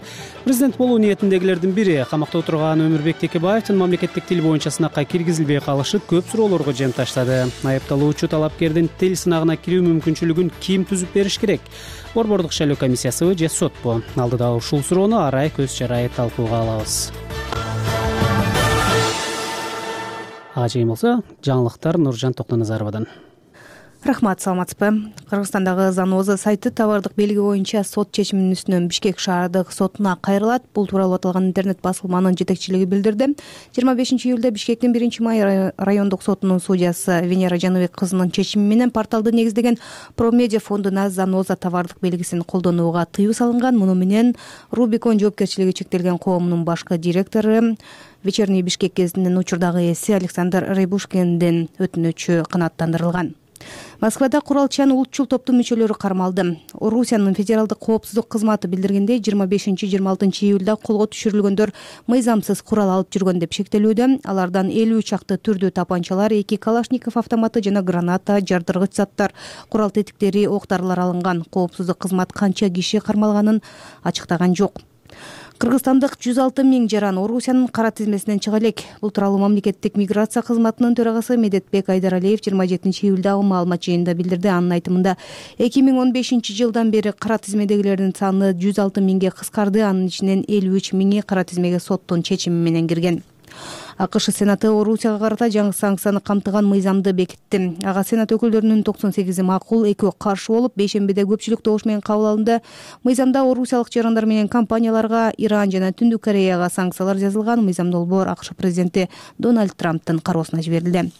Президент болуу ниетиндегилердин бири камакта отурган Өмүрбек Текебаевдин мамлекеттик тил боюнча сынакка киргизилбей калышы көп суроолорго жем таштады. Айыпталуучу талапкердин тил сынагына кирүү мүмкүнчүлүгүн ким түзүп бериш керек? Борбордук шайлоо комиссиясыбы же сотпу? Алдыда ушул суроону арай көз чарай талкууга алабыз. Ажайым болсо, жаңылыктар Нуржан Токтоназаровадан. Рахмат, саламатсызбы? Кыргызстандагы Заноза сайты товардык белги боюнча сот чечиминин үстүнөн Бишкек шаардык сотуна кайрылат. Бул тууралуу аталган интернет басылманын жетекчилиги билдирди. 25 июлда Бишкектин 1-май райондук сотунун судьясы Венера Жаныбек кызынын чечими менен порталды негиздеген Промедиа фондуна Заноза товардык белгисин колдонууга тыюу салынган. Муну менен Рубикон жоопкерчилиги чектелген коомунун башкы директору Вечерний Бишкек гезитинин учурдагы ээси Александр Райбушкиндин өтүнүчү канааттандырылган. Москвада куралчан улутчул топтун мүчөлөрү кармалды. Орусиянын федералдык коопсуздук кызматы билдиргендей, 25-26 июлда колго түшүрүлгөндөр мыйзамсыз курал алып жүргөн деп шектелүүдө. Алардан 50 чакты түрдүү тапанчалар, 2 калашников автоматы жана граната, жардыргыч заттар, курал тетиктери, октарлар алынган. Коопсуздук кызмат канча киши кармалганын ачыктаган жок. Кыргызстандык 106 миң жаран Орусиянын кара тизмесинен чыга элек. Бул тууралуу мамлекеттик миграция кызматынын төрагасы Медетбек Айдаралиев 27 июлдагы маалымат жыйынында билдирди. Анын айтымында 2015 жылдан бери кара тизмедегилердин саны 106 миңге кыскарды. Анын ичинен 53 миңи кара тизмеге соттун чечими менен кирген. АКШ Сенаты Орусияга карата жаңы санкцияны камтыган мыйзамды бекитти. Ага Сенат өкүлдөрүнүн 98 макул, 2 каршы болуп, бейшембиде көпчүлүк добуш менен кабыл алынды. Мыйзамда орусиялык жарандар менен компанияларга, Иран жана Түндүк Кореяга санкциялар жазылган. Мыйзам долбоор АКШ президенти Дональд Трамптын кароосуна жиберилди.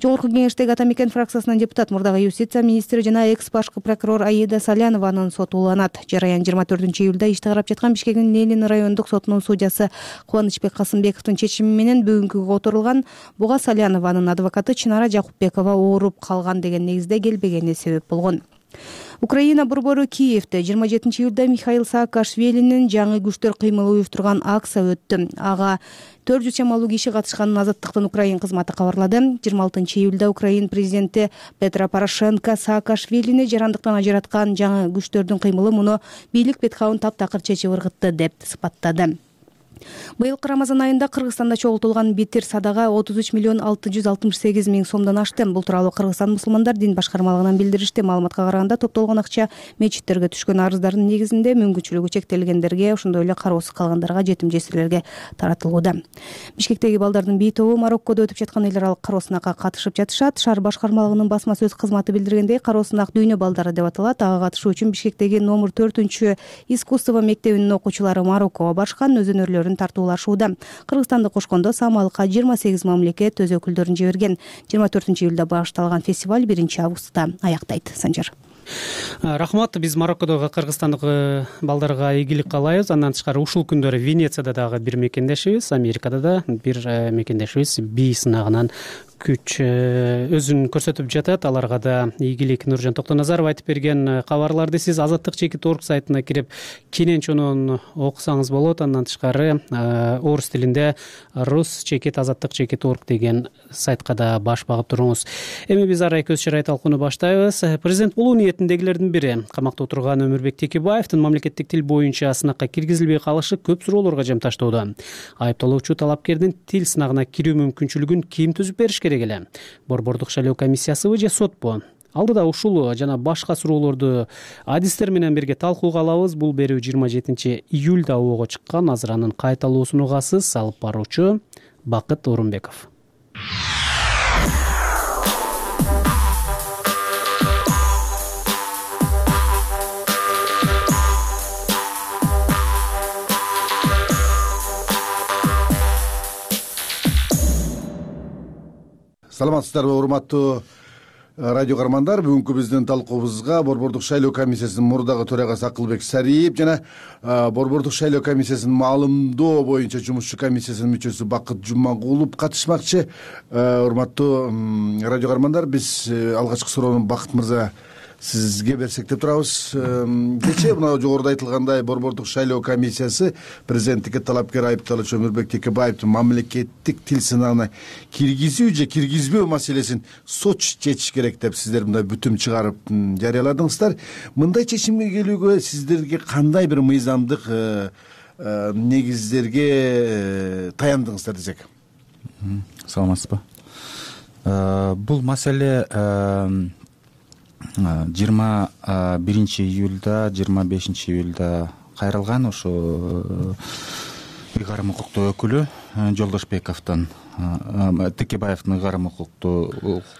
Жогорку кеңештеги Атамекен фракциясынын депутат, мурдагы юстиция министри жана экс башкы прокурор Аида Салянованын соту уланат. Жараян 24 июлда ишти карап жаткан Бишкектин Ленин райондук сотунун судьясы Кубанычбек Касымбековдун чечими менен бүгүнкү которулган. Буга Салянованын адвокаты Чынара Жакупбекова ооруп калган деген негизде келбегени себеп болгон. Украина борбору Киевде 27 июлда Михаил Саакашвилинин жаңы күчтөр кыймылы уюштурган акция өттү. Ага 400 чамалуу киши катышканын Азаттыктын Украин кызматы кабарлады. 26 июлда Украин президенти Петро Порошенко Саакашвилини жарандыктан ажыраткан жаңы күчтөрдүн кыймылы муну бийлик бетхабын таптакыр чечип ыргытты деп сыпаттады. Быйылкы Рамазан айында Кыргызстанда чогултулган битир садага 33 миллион 668 миң сомдон ашты. Бул тууралуу Кыргызстан мусулмандар дин башкармалыгынан билдиришти. Маалыматка караганда топтолгон акча мечиттерге түшкөн арыздардын негизинде мүмкүнчүлүгү чектелгендерге, ошондой эле кароосуз калгандарга, жетим жесирлерге таратылууда. Бишкектеги балдардын бий тобу Мароккодо өтүп жаткан эл аралык кароо сынакка катышып жатышат. Шаар башкармалыгынын басма сөз кызматы билдиргендей, кароо сынак дүйнө балдары деп аталат. Ага катышуу үчүн Бишкектеги номер 4 искусство мектебинин окуучулары Мароккого барышкан, өзүнөрлөрүн тартуулашууда. Кыргызстанды кошкондо самалыкка 28 мамлекет өз өкүлдөрүн жиберген. 24 июлда башталган фестиваль 1 августта аяктайт. Санжар. Рахмат, биз Мароккодогу кыргызстандык балдарга ийгилик каалайбыз. Андан тышкары ушул күндөрү Венецияда дагы бир мекендешибиз, Америкада да бир мекендешибиз бий сынагынан күч өзүн көрсөтүп жатат. Аларга да ийгилик. Нуржан Токтоназаров айтып берген кабарларды сиз Азаттык.org сайтына кирип кенен чонун окусаңыз болот. Андан тышкары орус тилинде rus.azattik.org деген сайтка да баш багып туруңуз. Эми биз арай көз чарай талкууну баштайбыз. Президент болуу ниетиндегилердин бири камакта отурган Өмүрбек Текебаевдин мамлекеттик тил боюнча сынакка киргизилбей калышы көп суроолорго жем таштоодо. Айыпталуучу талапкердин тил сынагына кирүү мүмкүнчүлүгүн ким түзүп бериш керек эле? Борбордук шайлоо комиссиясыбы же сотпу? Алдыда ушул жана башка суроолорду адистер менен бирге талкууга алабыз. Бул берүү 27 июлда ого чыккан. Азыр анын кайталоосун угасыз. Алып баруучу Бакыт Орунбеков. саламатсыздарбы урматтуу радио каармандар. Бүгүнкү биздин талкуубузга Борбордук шайлоо комиссиясынын мурдагы төрагасы Акылбек Сариев жана Борбордук шайлоо комиссиясынын маалымдоо боюнча жумушчу комиссиясынын мүчөсү Бакыт Жумагулов катышмакчы. Урматтуу радио каармандар, биз алгачкы суроону Бакыт мырза сизге берсек деп турабыз. Кечээ мына жогоруда айтылгандай Борбордук шайлоо комиссиясы президенттикке талапкер айыпталуучу Өмүрбек Текебаевдин мамлекеттик тил сынагына киргизүү же киргизбөө маселесин сот чечиш керек деп сиздер мындай бүтүм чыгарып жарыяладыңыздар. Мындай чечимге келүүгө сиздерге кандай бир мыйзамдык негиздерге таяндыңыздар десек? Саламатсызбы. Бул маселе 21 июлда 25 июлда кайрылган. Ошо ыйгарым укуктуу өкүлү Жолдошбековдон, Текебаевдин ыйгарым укуктуу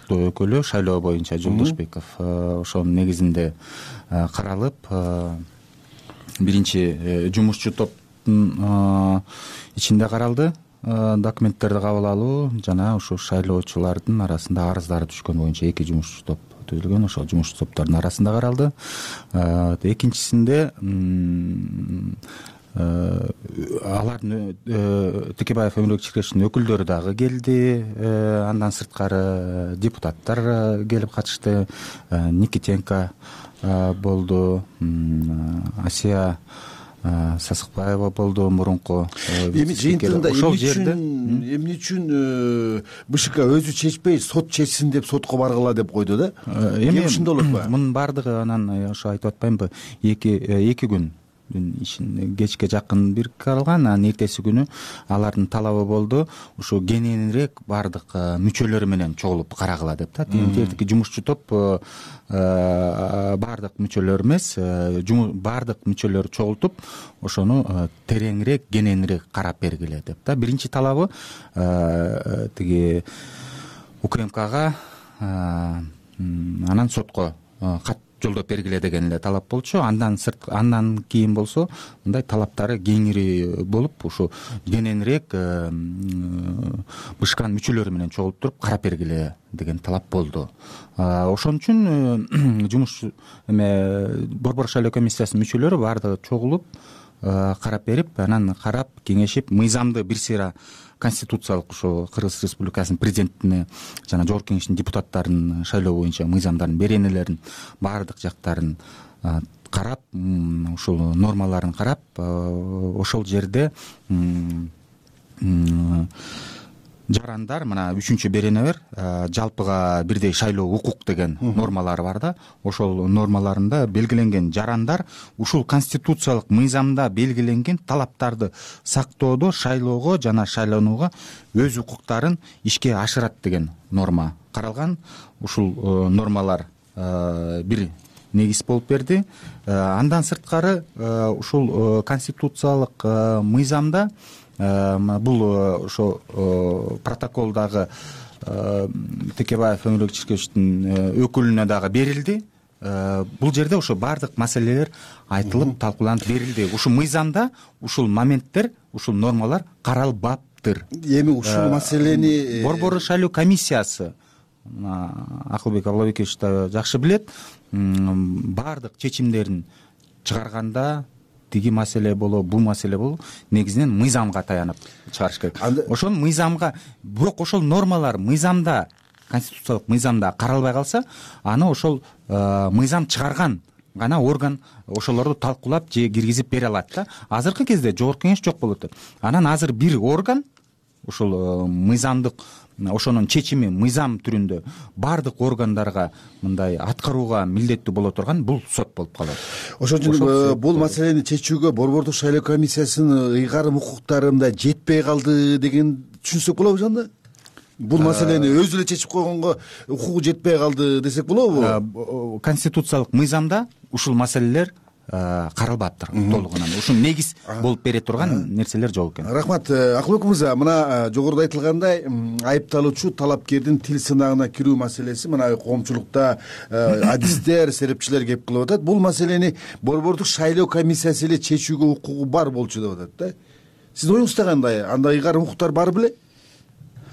өкүлү шайлоо боюнча Жолдошбеков, ошонун негизинде каралып, биринчи жумушчу топтун ичинде каралды. Документтерди кабыл алуу жана ушу шайлоочулардын арасында арыздары түшкөн боюнча 2 жумушчу топ түзүлгөн. Ошол жумушчу топтордун арасында каралды. Экинчисинде алардын Текебаев Өмүрбек Чиркешовдун өкүлдөрү дагы келди. Андан сырткары депутаттар келип катышты. Никитенко болду, Асия Сасыкбаева болду, мурунку. Эми жыйынтыгында эмне үчүн БШК өзү чечпей сот чечсин деп сотко баргыла деп койду да? Эми ушундай болот го? Мунун баардыгы анан ошо айтып атпаймынбы, 2 күн кечке жакын бир каралган. Анан эртеси күнү алардын талабы болду ушу кененирээк баардык мүчөлөрү менен чогулуп карагыла деп да. Тиги жумушчу топ баардык мүчөлөр эмес, баардык мүчөлөрү чогултуп ошону тереңирээк, кененирээк карап бергиле деп да. Биринчи талабы тиги УКМКга анан сотко кат жолдоп бергиле деген эле талап болчу. Андан кийин болсо мындай талаптары кеңири болуп, ушу кененирээк БШКнын мүчөлөрү менен чогулуп туруп карап бергиле деген талап болду. Ошон үчүн жумуш Борбор шайлоо комиссиясынын мүчөлөрү баардыгы чогулуп карап берип, анан карап кеңешип, мыйзамды бир сыйра конституциялык ушу Кыргыз Республикасынын президентине жана Жогорку Кеңештин депутаттарынын шайлоо боюнча мыйзамдардын беренелерин баардык жактарын карап, ушул нормаларын карап, ошол жерде жарандар, мына 3-чү берене бар, жалпыга бирдей шайлоо укук деген нормалары бар да. Ошол нормаларында белгиленген жарандар ушул конституциялык мыйзамда белгиленген талаптарды сактоодо шайлоого жана шайланууга өз укуктарын ишке ашырат деген норма каралган. Ушул нормалар бир негиз болуп берди. Андан сырткары ушул конституциялык мыйзамда бул ошо протоколдагы Текебаев Өмүрбек Чиркешовдун өкүлүнө дагы берилди. Бул жерде ошо баардык маселелер айтылып, талкууланып берилди. Ушул мыйзамда ушул моменттер, ушул нормалар каралбаптыр. Эми ушул маселени Борбор шайлоо комиссиясы, Акылбек Аблабекович да жакшы билет, баардык чечимдерин чыгарганда тиги маселе болобу, бул маселе болобу, негизинен мыйзамга таянып чыгарыш керек. Ошол мыйзамга, бирок ошол нормалар мыйзамда, конституциялык мыйзамда каралбай калса, аны ошол мыйзам чыгарган гана орган ошолорду талкуулап же киргизип бере алат да. Азыркы кезде Жогорку Кеңеш жок болуп атат. Анан азыр бир орган ушул мыйзамдык, ошонун чечими мыйзам түрүндө баардык органдарга мындай аткарууга милдеттүү боло турган бул сот болуп калат. Ошон үчүн бул маселени чечүүгө Борбордук шайлоо комиссиясынын ыйгарым укуктарында жетпей калды деген түшүнсөк болобу жанда? Бул маселени өзү эле чечип койгонго укугу жетпей калды десек болобу? Конституциялык мыйзамда ушул маселелер каралбаптыр толугунан. Ушун негиз болуп бере турган нерселер жок экен. Рахмат. Акылбек мырза, мына жогоруда айтылгандай айыпталуучу талапкердин тил сынагына кирүү маселеси мына коомчулукта адистер, серепчилер кеп кылып атат. Бул маселени Борбордук шайлоо комиссиясы эле чечүүгө укугу бар болчу деп атат да. Сиздин оюңузда кандай? Андай ыйгарым укуктар бар беле?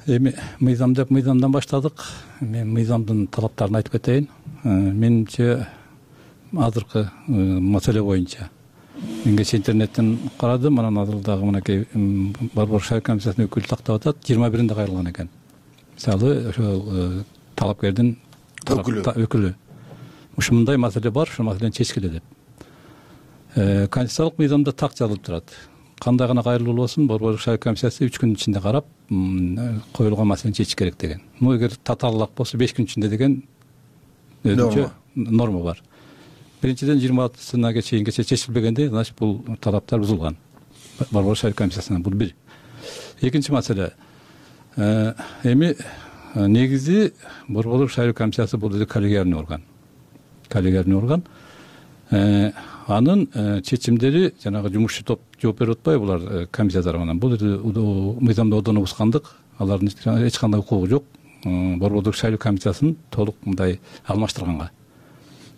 эми мыйзам деп мыйзамдан баштадык. Мен мыйзамдын талаптарын айтып кетейин. Менимче азыркы маселе боюнча мен кечээ интернеттен карадым, анан азыр дагы мынакей Борбор шайлоо комиссиясынын өкүлү тактап атат, 21-нде кайрылган экен. Мисалы ошол талапкердин өкүлү ушундай маселе бар, ушул маселени чечкиле деп. Конституциялык мыйзамда так жазылып турат. Кандай гана кайрылуу болсун, Борбор шайлоо комиссиясы 3 күн ичинде карап, коюлган маселени чечиш керек деген. Эгер татаалык болсо 5 күн ичинде деген өзүнчө норма бар. Биринчиден 26-сына чейин чечилбегенде, значит бул талаптар бузулган. Борбор шайлоо комиссиясынан бул бир. Экинчи маселе. Эми негизи Борбор шайлоо комиссиясы бул коллегиальный орган. Коллегиальный орган. Анын чечимдери жанагы жумушчу топ жооп берип атпайбы булар комиссия тарабынан. Бул мыйзамда одоно бузгандык, алардын эч кандай укугу жок. Борбордук шайлоо комиссиясын толук мындай алмаштырганга.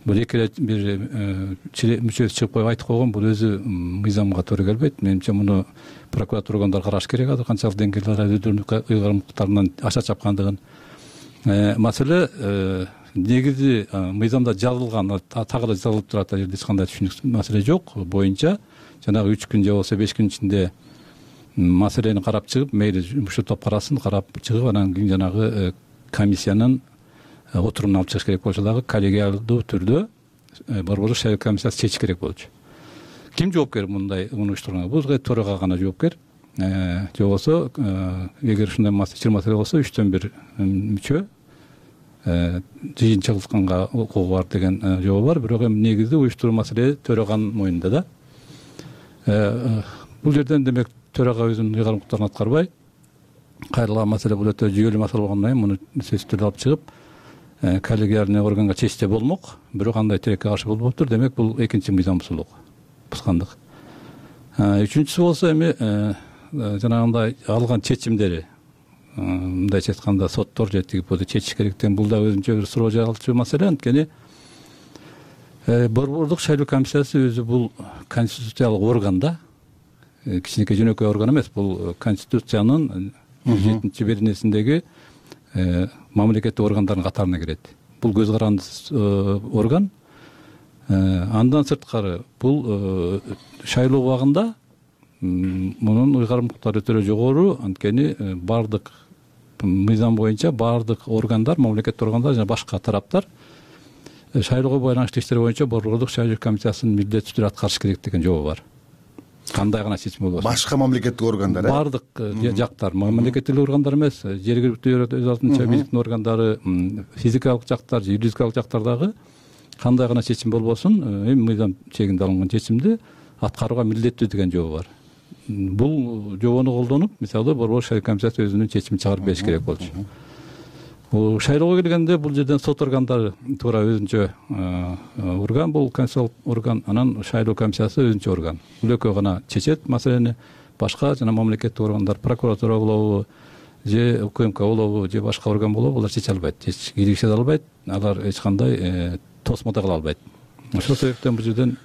Бул эки бир мүчөсү чыгып коюп айтып койгон, бул өзү мыйзамга туура келбейт. Менимче муну прокуратура органдары караш керек. Азыр канчалык деңгээлде өздөрүнүн ыйгарымдыктарынан аша чапкандыгын. Маселе негизи мыйзамда жазылган, так эле жазылып турат, жерде эч кандай түшүнүксүз маселе жок боюнча жанагы 3 күн же болбосо 5 күн ичинде маселени карап чыгып, мейли жумушчу топ карасын, карап чыгып, анан кийин жанагы комиссиянын отурумуна алып чыгыш керек болчу дагы коллегиалдуу түрдө Борбор шайлоо комиссиясы чечиш керек болчу. Ким жоопкер мындай уюштурганга? Бул төрага гана жоопкер. Же болбосо эгер ушундай маселе болсо 3төн 1 мүчө жыйынчылыкка укугу бар деген жобо бар. Бирок эми негизи уюштуруу маселе төраганын мойнунда да. Бул жерден демек төрага өзүнүн ыйгарымдыктарын аткарбай, кайрылган маселе бул өтө жүйөлүү маселе болгондон кийин муну сөзсүз түрдө алып чыгып, коллегиальный органга чечсе болмок, бирок андай тилекке каршы болбоптур. Демек бул экинчи мыйзам бузгандык. Үчүнчүсү болсо эми жанагындай алган чечимдери, мындайча айтканда соттор же тигиподу чечиш керек деген бул да өзүнчө бир суроо жаралчу маселе. Анткени Борбордук шайлоо комиссиясы өзү бул конституциялык орган да, кичинекей жөнөкөй орган эмес. Бул конституциянын 7-беренесиндеги мамлекеттик органдардын катарына кирет. Бул көз карандысыз орган. Андан сырткары бул шайлоо убагында мунун ыйгарымдыктары өтө жогору. Анткени бардык мыйзам боюнча бардык органдар, мамлекеттик органдар жана башка тараптар шайлоого байланыштуу иштер боюнча Борбордук шайлоо комиссиясынын милдеттүү түрдө аткарыш керек деген жобо бар. Кандай гана чечим болбосун. Башка мамлекеттик органдар, бардык жактар, мамлекеттик органдар эмес, жергиликтүү өз алдынча бийликтин органдары, физикалык жактар, юридикалык жактардагы кандай гана чечим болбосун, эми мыйзам чегинде алынган чечимди аткарууга милдеттүү деген жобо бар. Бул жобону колдонуп, мисалы Борбор шайлоо комиссиясы өзүнүн чечимин чыгарып бериш керек болчу. Шайлоого келгенде бул жерден сот органдары туура өзүнчө орган, бул конституциялык орган, анан шайлоо комиссиясы өзүнчө орган. Бул экөө гана чечет маселени. Башка жана мамлекеттик органдар, прокуратура болобу, же УКМК болобу, же башка орган болобу, булар чече албайт, киргизе албайт, алар эч кандай тосмо да кыла албайт. Ошол себептен бул жерден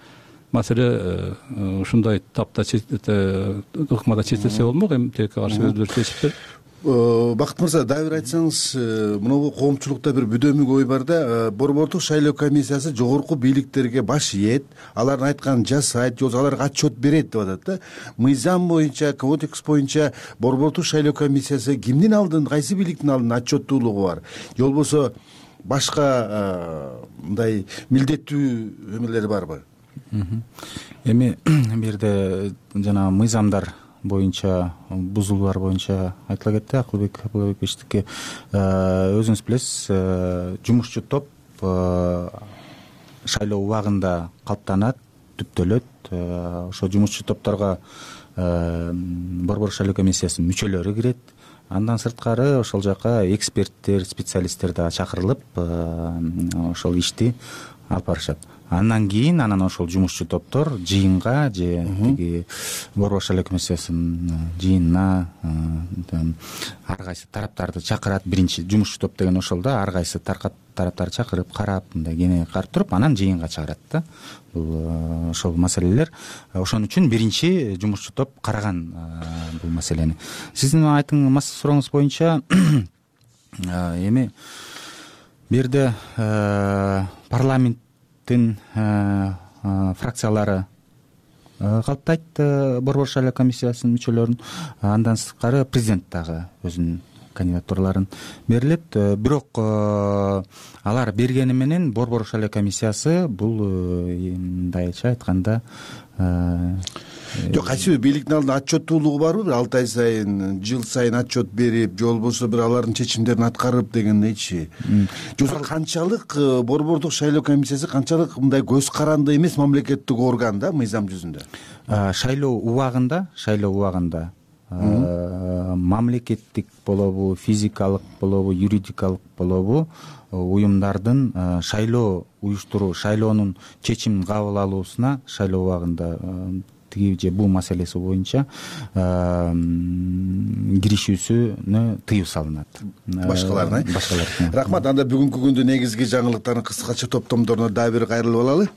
маселе ушундай тапта ыкмада чечилсе болмок. Эми тилекке каршы өздөрү чечиптир. Бакыт мырза, дагы бир айтсаңыз, мынабу коомчулукта бир бүдөмүк ой бар да, Борбордук шайлоо комиссиясы жогорку бийликтерге баш ийет, алардын айтканын жасайт, же аларга отчет берет деп атат да. Мыйзам боюнча, кодекс боюнча Борбордук шайлоо комиссиясы кимдин алдын, кайсы бийликтин алдын отчеттуулугу бар? Же болбосо башка мындай милдеттүү эмелери барбы? Эми бул жерде жана мыйзамдар боюнча, бузулуулар боюнча айтыла кетти. Акылбек Абылбековичтики өзүңүз билесиз, жумушчу топ шайлоо убагында калыптанат, түптөлөт. Ошо жумушчу топторго Борбор шайлоо комиссиясынын мүчөлөрү кирет. Андан сырткары ошол жака эксперттер, специалисттер да чакырылып, ошол ишти алып барышат. Андан кийин ошол жумушчу топтор жыйынга же тиги борбор шайлоо комиссиясынын жыйынына ар кайсы тараптарды чакырат. Биринчи жумушчу топ деген ошол да, ар кайсы тараптарды чакырып карап, мындай кене карап туруп анан жыйынга чыгарат да. Бул ошол маселелер. Ошон үчүн биринчи жумушчу топ караган бул маселени. Сиздин сурооңуз боюнча эми бу жерде парламенттин фракциялары калыптайт борбор шайлоо комиссиясынын мүчөлөрүн. Андан сырткары президент дагы өзүнүн кандидатураларын берилет. Бирок алар бергени менен борбор шайлоо комиссиясы бул мындайча айтканда жок, кайсыбир бийликтин алдында отчеттуулугу барбы? 6 ай сайын, жыл сайын отчет берип, же болбосо бир алардын чечимдерин аткарып дегендейчи. Жоксо канчалык борбордук шайлоо комиссиясы канчалык мындай көз каранды эмес мамлекеттик орган да мыйзам жүзүндө? Шайлоо убагында мамлекеттик болобу, физикалык болобу, юридикалык болобу уюмдардын шайлоо уюштуруу, шайлоонун чечимин кабыл алуусуна шайлоо убагында тиги же бул маселеси боюнча киришүүсүнө тыюу салынат. Башкаларына. Рахмат. Анда бүгүнкү күндүн негизги жаңылыктарын кыскача топтомдоруна дагы бир кайрылып алалы.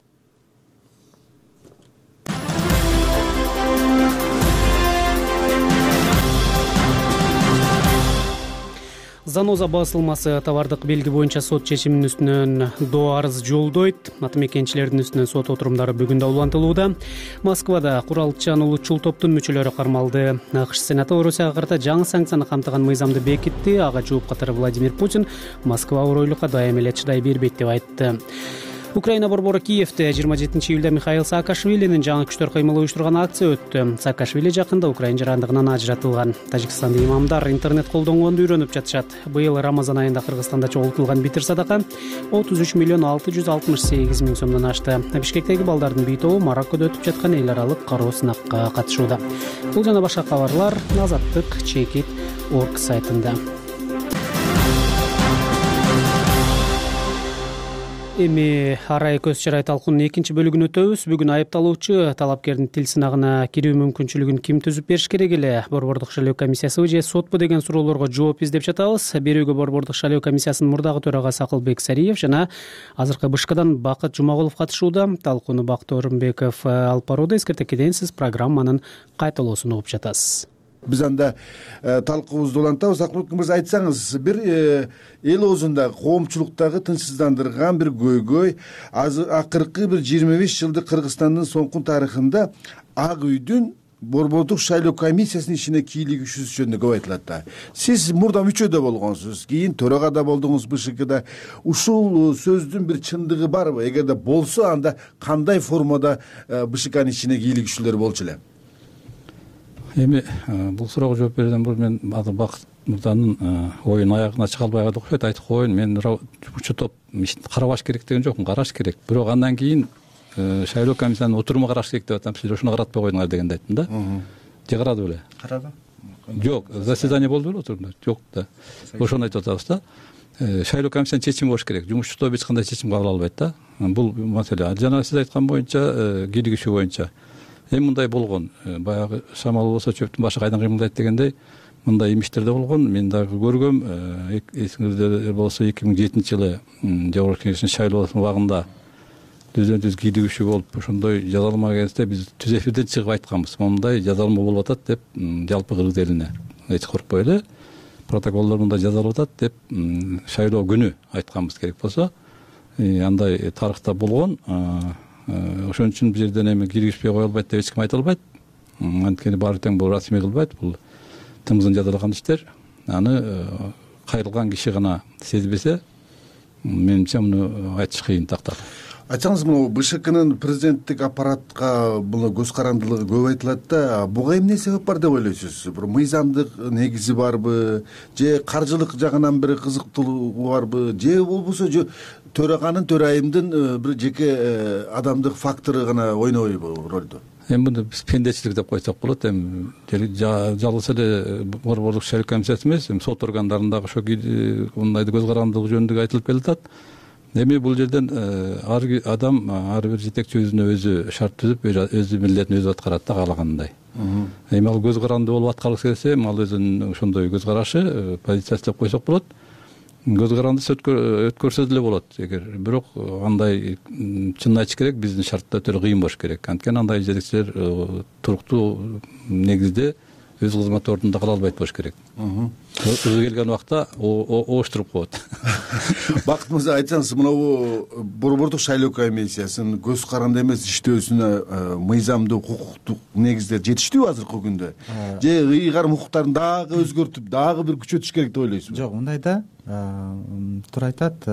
Заноза басылмасы товардык белги боюнча сот чечиминин үстүнөн доо арыз жолдойт. Атамекенчилердин үстүнөн сот отурумдары бүгүн да улантылууда. Москвада куралчан улутчул топтун мүчөлөрү кармалды. АКШ Сенаты Орусияга карата жаңы санкцияны камтыган мыйзамды бекитти. Ага жооп катары Владимир Путин Москва уройлукка дайым эле чыдай бербейт деп айтты. Украина борбору Киевде 27 июлда Михаил Саакашвилинин жаңы күчтөр кыймыл уюштурган акция өттү. Саакашвили жакында Украина жарандыгынан ажыратылган. Тажикстандын имамдар интернет колдонгонду үйрөнүп жатышат. Быйыл Рамазан айында Кыргызстанда чогултулган битир садака 33 миллион 668 миң сомдон ашты. Бишкектеги балдардын бий тобу Мароккодо өтүп жаткан эл аралык кароо сынакка катышууда. Бул жана башка кабарлар Азаттык Чекит.org сайтында. Эми арай көз чырай талкуунун экинчи бөлүгүн өтөбүз. Бүгүн айыпталуучу талапкердин тил сынагына кирүү мүмкүнчүлүгүн ким түзүп бериш керек эле? Борбордук шайлоо комиссиясыбы же сотпу деген суроолорго жооп издеп жатабыз. Берүүгө борбордук шайлоо комиссиясынын мурдагы төрагасы Акылбек Сариев жана азыркы БШКдан Бакыт Жумагулов катышууда. Талкууну Бакыт Орунбеков алып барууда. Эскертекеден сиз программанын кайталоосун угуп жатасыз. Биз анда талкуубузду улантабыз. Акылбек мырза, айтсаңыз, бир эл оозунда коомчулуктагы тынчсыздандырган бир көйгөй акыркы бир 25 жылдык Кыргызстандын соңку тарыхында Ак үйдүн борбордук шайлоо комиссиясынын ишине кийлигишүүсү жөнүндө көп айтылат да. Сиз мурда мүчөдө болгонсуз, кийин төрага да болдуңуз БШКда. Ушул сөздүн бир чындыгы барбы? Эгерде болсо, анда кандай формада БШКнын ишине кийлигишүүлөр болчу эле? Эми бул суроого жооп берүүдөн мурун мен Бакыт мырзанын оюн аягына чыга албай калды окшойт. Айтып коеюн, мен жумушчу топ ишин карабаш керек деген жокмун, караш керек. Бирок андан кийин шайлоо комиссиянын отуруму караш керек деп атам. Сиз ошону каратпай койдуңар дегенди айттым да. Же карады беле? Карады. Жок, заседание болду беле отурумда? Жок да. Ошону айтып атабыз да. Шайлоо комиссиянын чечими болуш керек. Жумушчу топ эч кандай чечим кабыл албайт да. Бул маселе. Жана сиз айткан боюнча, кийлигишүү боюнча эми мындай болгон. Баягы шамал болсо чөптүн башы кайдан кыймылдайт дегендей мындай имиштер да болгон. Мен дагы көргөм. Эсиңизде болсо 2007-жылы Жогорку Кеңештин шайлоо убагында түздөн-түз кийлигишүү болуп, ошондой жазалма кезинде биз түз эфирден чыгып айтканбыз. Мындай жазалма болуп атат деп, жалпы кыргыз элине эч коркпой эле протоколдор мындай жазалып атат деп шайлоо күнү айтканбыз керек болсо. Андай тарыхта болгон. Ошон үчүн бул жерден эми кийлигишпей кое албайт деп эч ким айта албайт. Анткени баары тең бул расмий кылбайт, бул тымызын жазалаган иштер. Аны кайрылган киши гана сезбесе, менимче муну айтыш кыйын тактап. Айтсаңыз, мына БШКнын президенттик аппаратка бул көз карандылыгы көп айтылат да, буга эмне себеп бар деп ойлойсуз? Бир мыйзамдык негизи барбы, же каржылык жагынан бир кызыктуулугу барбы, же болбосо төраганын, төрайымдын бир жеке адамдык фактору гана ойнойбу ролду? Эми муну биз пендечилик деп койсок болот. Эми жалгыз эле борбордук шайлоо комиссиясы эмес, сот органдарындагы ошо мындайды көз карандылыгы жөнүндө айтылып келатат. эми бул жерден ар бир жетекчи өзүнө шарт түзүп өзү милдетин өзү аткарат да каалагандай. Эми ал көз каранды болуп аткаргысы келсе, ал өзүнүн ошондой көз карашы позициясы деп койсок болот. Көз карандысы өткөрсө деле болот. Эгер бирок андай чынын айтыш керек, биздин шартта өтө кыйын болуш керек. Анткени андай жетекчилер туруктуу негизде өз кызмат ордунда кала албайт болуш керек. Өзү келген убакта ооштуруп коет. Бакыт мырза, айтсаңыз, мынабу борбордук шайлоо комиссиясынын көз каранды эмес иштөөсүнө мыйзамдуу укуктук негиздер жетиштүүбү азыркы күндө? Же ыйгарым укуктарын дагы өзгөртүп, дагы бир күчөтүш керек деп ойлойсузбу? Жок, мындай да. Туура айтат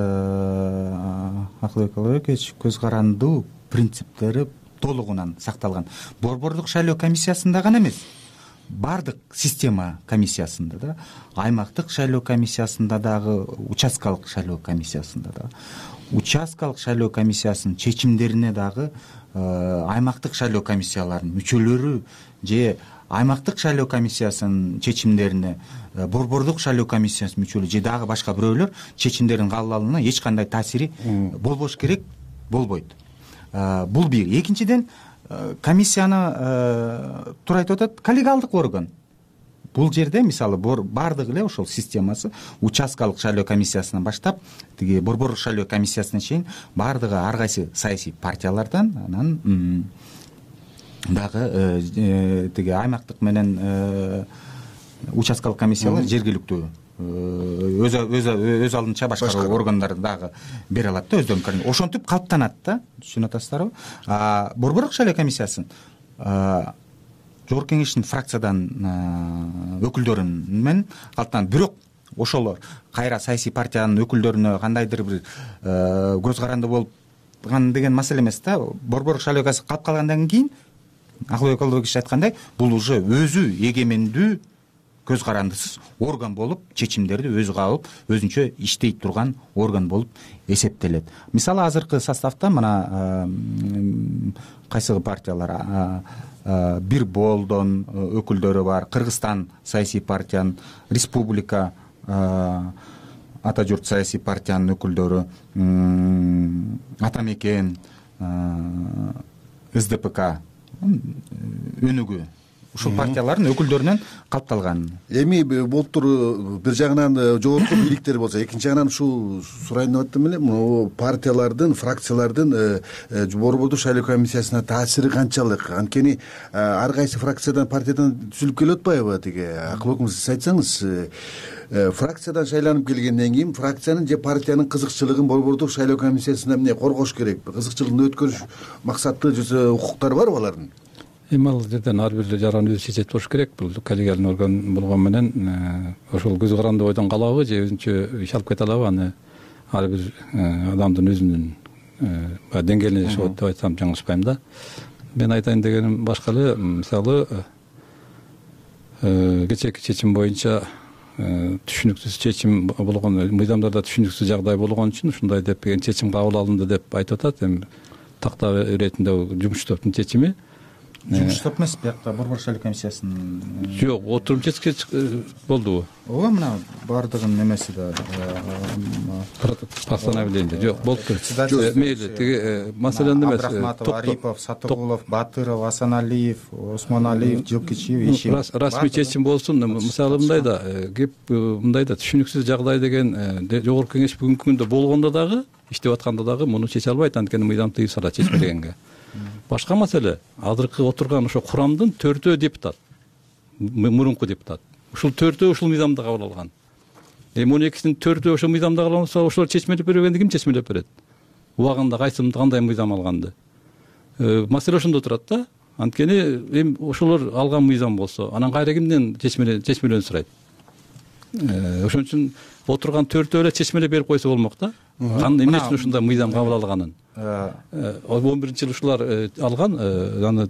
Акылбек Алыбекович, көз карандуу принциптери толугунан сакталган. Борбордук шайлоо комиссиясында гана эмес, бардык система комиссиясында да, аймактык шайлоо комиссиясында дагы, участкалык шайлоо комиссиясында да, участкалык шайлоо комиссиясынын чечимдерине дагы аймактык шайлоо комиссияларынын мүчөлөрү же аймактык шайлоо комиссиясынын чечимдерине борбордук шайлоо комиссиясынын мүчөлөрү же дагы башка бирөөлөр чечимдердин кабыл алууна эч кандай таасири болбош керек, болбойт. Бул бир. Экинчиден, комиссияны туура айтып атат, коллегиалдык орган. Бул жерде мисалы бардык эле ошол системасы участкалык шайлоо комиссиясынан баштап тиги борбордук шайлоо комиссиясына чейин бардыгы ар кайсы саясий партиялардан, анан дагы тиги аймактык менен участкалык комиссиялар жергиликтүү өз алдынча башкаруу органдары дагы бере алат да өздөрүнүн. Ошентип калыптанат да, түшүнүп атасыздарбы? Борбордук шайлоо комиссиясын жогорку кеңештин фракциядан өкүлдөрү менен калыптанат. Бирок ошолор кайра саясий партиянын өкүлдөрүнө кандайдыр бир көз каранды болгон деген маселе эмес да. Борбордук шайлоо комиссиясы калып калгандан кийин Акылбек Алыбекович айткандай, бул уже өзү эгемендүү көз карандысыз орган болуп, чечимдерди өзү кабыл, өзүнчө иштей турган орган болуп эсептелет. Мисалы азыркы составда мына кайсы партиялар, Бир Болдон өкүлдөрү бар, Кыргызстан саясий партиянын, Республика Ата журт саясий партиянын өкүлдөрү, Ата мекен, СДПК өнүгүү, ушул партиялардын өкүлдөрүнөн калыпталган. Эми болуптур бир жагынан жогорку бийликтер болсо, экинчи жагынан ушул сурайын деп аттым эле, могу партиялардын, фракциялардын борбордук шайлоо комиссиясына таасири канчалык? Анткени ар кайсы фракциядан, партиядан түзүлүп келип атпайбы? Тиги Акылбек мырза, сиз айтсаңыз, фракциядан шайланып келгенден кийин фракциянын же партиянын кызыкчылыгын борбордук шайлоо комиссиясында эмне коргош керек? Кызыкчылыгын өткөрүш максаты же укуктары барбы алардын? Эми ал жерден ар бир жараны өзү чечет болуш керек. Бул коллегиалдык орган болгон менен ошол көз каранды ойдон калабы же өзүнчө иш алып кете алабы, аны ар бир адамдын өзүнүн деңгээлине жашап деп айтсам жаңылышпайм да. Мен айтайын дегеним башка эле. Мисалы кечээки чечим боюнча түшүнүксүз чечим болгон, мыйзамдарда түшүнүксүз жагдай болгон үчүн ушундай деп чечим кабыл алынды деп айтып атат. Эми такта иретинде жумуш топтун чечими. Жумуш топ эмес, биякта борбордук шайлоо комиссиясынын. Жок, отурум чечке болдубу? Ооба, мына бардыгынын эмеси да постановление. Жок, болуптур. Мейли, тиги маселени эмес. Абдрахматов, Арипов, Сатыгулов, Батыров, Асаналиев, Осмоналиев, Жылкичиев, Ишев. Расмий чечим болсун. Мисалы мындай да, кеп мындай да түшүнүксүз жагдай деген жогорку кеңеш бүгүнкү күндө болгондо дагы, иштеп атканда дагы муну чече албайт, анткени мыйзам тыюу сала чечмегенге. Башка маселе, азыркы отурган ошо курамдын 4 депутат, мурунку депутат. Ушул 4 ушул мыйзамда кабыл алган. Эми 12-синин 4 ошол мыйзамда кабыл алынса, ошолор чечмелеп бербегенди ким чечмелеп берет? Убагында кайсымды кандай мыйзам алганды? Маселе ошондо турат да. Анткени эми ошолор алган мыйзам болсо, анан кайра кимден чечмелөөнү сурайт? Ошон үчүн отурган 4 эле чечмелеп берип койсо болмок да. Эмне үчүн ушундай мыйзам кабыл алганын? 11-жылы ушулар алган, аны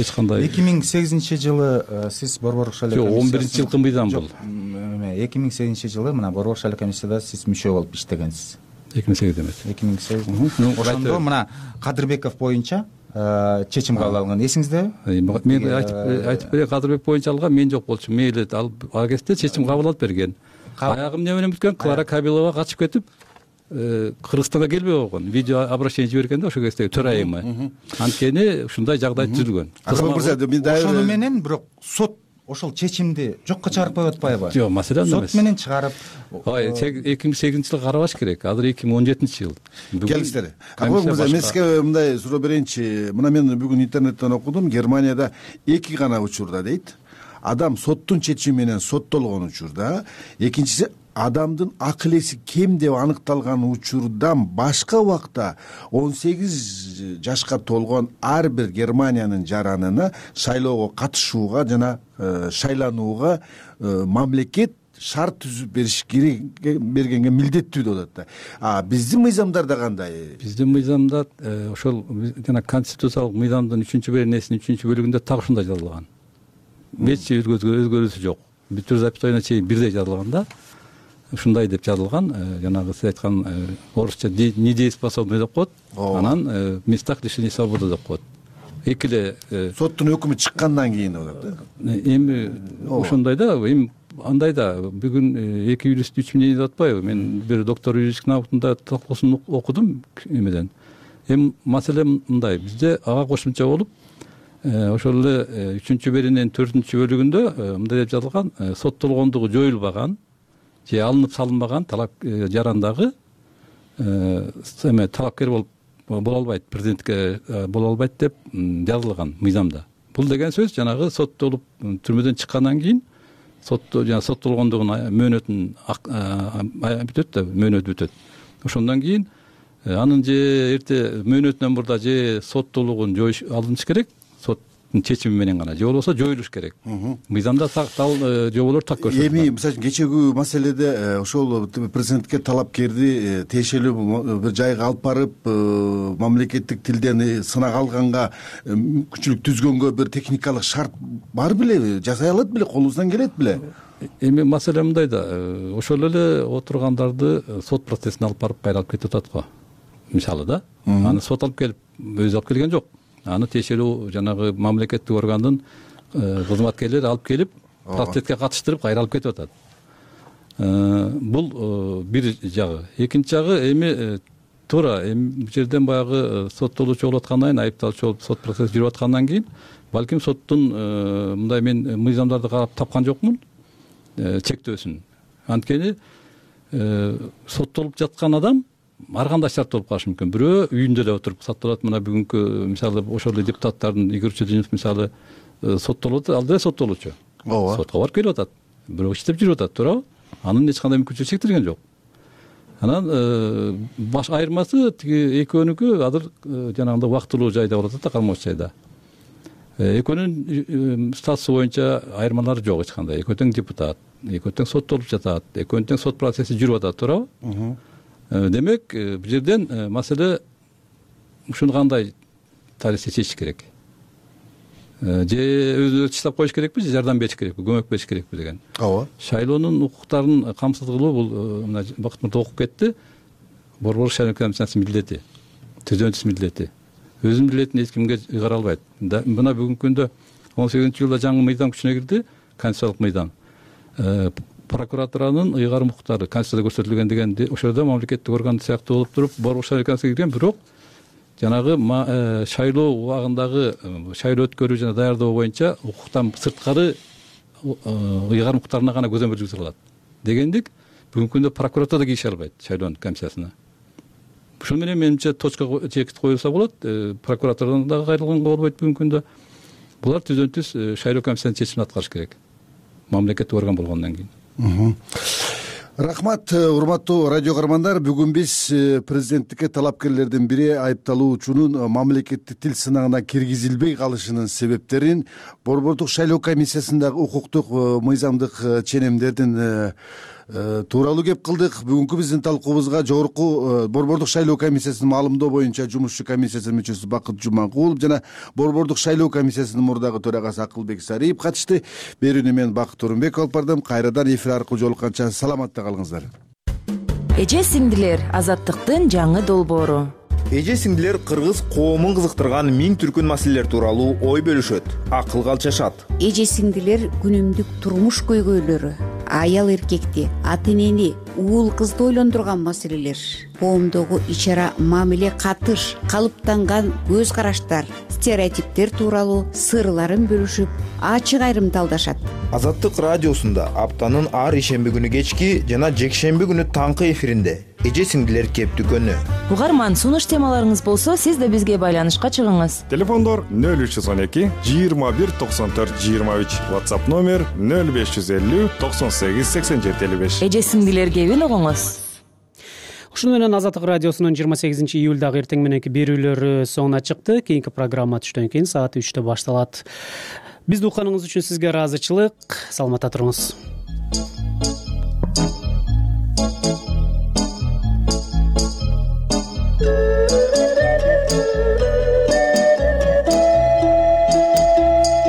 эч кандай 2008-жылы сиз борбордук шайлоо комиссиясы 11-жылкы мыйзам бул. 2008-жылы мына борбордук шайлоо комиссияда сиз мүчө болуп иштегенсиз. 2008 эмес. 2008. Ошондо мына Кадырбеков боюнча чечим кабыл алган, эсиңиздеби? Мен айтып берейин, Кадырбек боюнча алган, мен жок болчу. Мейли, ал кезде чечим кабыл алып берген. Аягым эмне менен бүткөн? Клара Кабилова качып кетип, Кыргызстанга келбей койгон, видео обращение жиберген да ошо кездеги төрайымы. Анткени ушундай жагдай түзүлгөн. Ошону менен бирок сот ошол чечимди жокко чыгарып коюп атпайбы? Жок, маселе анда эмес. Сот менен чыгарып. 2008-жылы карабаш керек. Азыр 2017-жыл. Келиңиздер. Акбек мырза, мен сизге мындай суроо берейинчи. Мына мен бүгүн интернеттен окудум, Германияда 2 гана учурда дейт. Адам соттун чечими менен соттолгон учурда, экинчиси адамдын акыл эси кем деп аныкталган учурдан башка убакта 18 жашка толгон ар бир Германиянын жаранына шайлоого катышууга жана шайланууга мамлекет шарт түзүп бергенге милдеттүү деп атат да. Биздин мыйзамдарда кандай? Биздин мыйзамда ошол жана конституциялык мыйзамдын 3-беренесинин 3-бөлүгүндө так ушундай жазылган. Эч өзгөрүүсү жок. Бүтүр запятойна чейин бирдей жазылган да. Ушундай деп жазылган, жанагы сиз айткан орусча недееспособный деп коет, анан местах лишения свободы деп коет. Эки эле соттун өкүмү чыккандан кийин болот да. Эми ошондой да, эми андай да, бүгүн 2 юрист 3 мнение деп атпайбы? Мен бир доктор юридический наукасында талкуусун окудум эмеден. Эми маселе мындай, бизде ага кошумча болуп, ошол эле 3-берененин 4-бөлүгүндө мындай деп жазылган, соттолгондугу жоюлбаган же алынып салынбаган талап жарандагы талапкер боло албайт, президентке боло албайт деп жазылган мыйзамда. Бул деген сөз жанагы соттолуп түрмөдөн чыккандан кийин соттолгондугун мөөнөтүн бүтөт да, мөөнөтү бүтөт. Ошондон кийин анын же эрте мөөнөтүнөн мурда же соттолугун жоюш алыныш керек, соттун чечими менен гана, же болбосо жоюлуш керек. Мыйзамда жоболор так көрсөтүлгөн. Эми мисалы үчүн кечеги маселеде ошол президентке талапкерди тиешелүү бир жайга алып барып, мамлекеттик тилден сынак алганга мүмкүнчүлүк түзгөнгө бир техникалык шарт бар белеби? Жасай алат беле? Колубуздан келет беле? Эми маселе мындай да, ошол эле отургандарды сот процессине алып барып кайра алып кетип атат го. Мисалы да, аны сот алып келип, өзү алып келген жок. Аны тиешелүү жанагы мамлекеттик органдын кызматкерлери алып келип, процесске катыштырып кайра алып кетип атат. Бул бир жагы. Экинчи жагы эми туура бул жерден баягы соттолуучу болуп аткандан кийин, айыпталуучу болуп сот процесси жүрүп аткандан кийин, балким соттун мындай мен мыйзамдарды карап тапкан жокмун чектөөсүн. Анткени соттолуп жаткан адам ар кандай шарт болуп калышы мүмкүн. Бирөө үйүндө эле отуруп соттолот. Мына бүгүнкү мисалы ошол эле депутаттардын Игорь Чудинов мисалы соттолот, ал деле соттолуучу. Ооба. Сотко барып келип атат. Бирөө иштеп жүрүп атат, туурабы? Анын эч кандай мүмкүнчүлүгү чектелген жок. Анан баш айырмасы тиги экөөнүкү азыр жанагындай убактылуу жайда болуп атат да, кармоочу жайда. Экөөнүн статусу боюнча айырмалары жок эч кандай. Экөө тең депутат, экөө тең соттолуп жатат, экөөнүн тең сот процесси жүрүп атат, туурабы? Демек, бул жерден маселе ушуну кандай тарихи чечиш керек? Же өзү чыштап коюш керекпи, же жардам бериш керекпи, көмөк бериш керекпи деген. Ооба. Шайлоонун укуктарын камсыз кылуу бул мына Бакыт мырза окуп кетти. Борбордук шайлоо комиссиясынын милдети, түзөнчүс милдети. Өзүнүн милдетин эч кимге ыйгара албайт. Мына бүгүнкү күндө 18-жылда жаңы мыйзам күчүнө кирди, конституциялык мыйзам. Прокуратуранын ыйгарым укуктары конституцияда көрсөтүлгөн деген ошолдо мамлекеттик орган сыяктуу болуп туруп, борбордук шайлоо комиссиясына кирген, бирок жанагы шайлоо убагындагы шайлоо өткөрүү жана даярдоо боюнча укуктан сырткары ыйгарым укуктарына гана көзөмөл жүргүзө алат. Дегендик, бүгүнкү күндө прокуратура да кириши албайт шайлоо комиссиясына. Ушун менен менимче точка чекит коюлса болот, прокуратурадан дагы кайрылганга болбойт бүгүнкү күндө. Булар түзөнтүс шайлоо комиссиянын чечимин аткарыш керек. Мамлекеттик орган болгондон кийин. Рахмат, урматтуу радио каармандар. Бүгүн биз президенттикке талапкерлердин бири айыпталуучунун мамлекеттик тил сынагына киргизилбей калышынын себептерин, Борбордук шайлоо комиссиясындагы укуктук мыйзамдык ченемдердин тууралуу кеп кылдык. Бүгүнкү биздин талкуубузга жогорку Борбордук шайлоо комиссиясынын маалымдоо боюнча жумушчу комиссиясынын мүчөсү Бакыт Жуманкулов жана Борбордук шайлоо комиссиясынын мурдагы төрагасы Акылбек Сариев катышты. Берүүнү мен Бакыт Орунбеков алып бардым. Кайрадан эфир аркылуу жолукканча саламатта калыңыздар. Эже сиңдилер, азаттыктын жаңы долбоору. Эже сиңдилер кыргыз коомун кызыктырган миң түркүн маселелер тууралуу ой бөлүшөт, акылга алчашат. Эже сиңдилер күнүмдүк турмуш көйгөйлөрү, аял эркекти, ата энени, уул кызды ойлондурган маселелер, коомдогу ич ара мамиле, катыш, калыптанган көз караштар, стереотиптер тууралуу сырларын бөлүшүп, ачык айрымдалдашат. Азаттык радиосунда аптанын ар ишемби күнү кечки жана жекшемби күнү таңкы эфиринде эже сиңдилер кеп дүкөнү. Угарман, сунуш темаларыңыз болсо, сиз да бизге байланышка чыгыңыз. Телефондор 0312 21 94 23, WhatsApp номер 0550 98 87 55. Эже сиңдилер кебин угуңуз. Ушуну менен Азаттык радиосунун 28 июлдагы эртең мененки берүүлөрү соңуна чыкты. Кийинки программа түштөн кийин саат 3-тө башталат. Бизди укканыңыз үчүн сизге ыраазычылык. Саламатта туруңуз.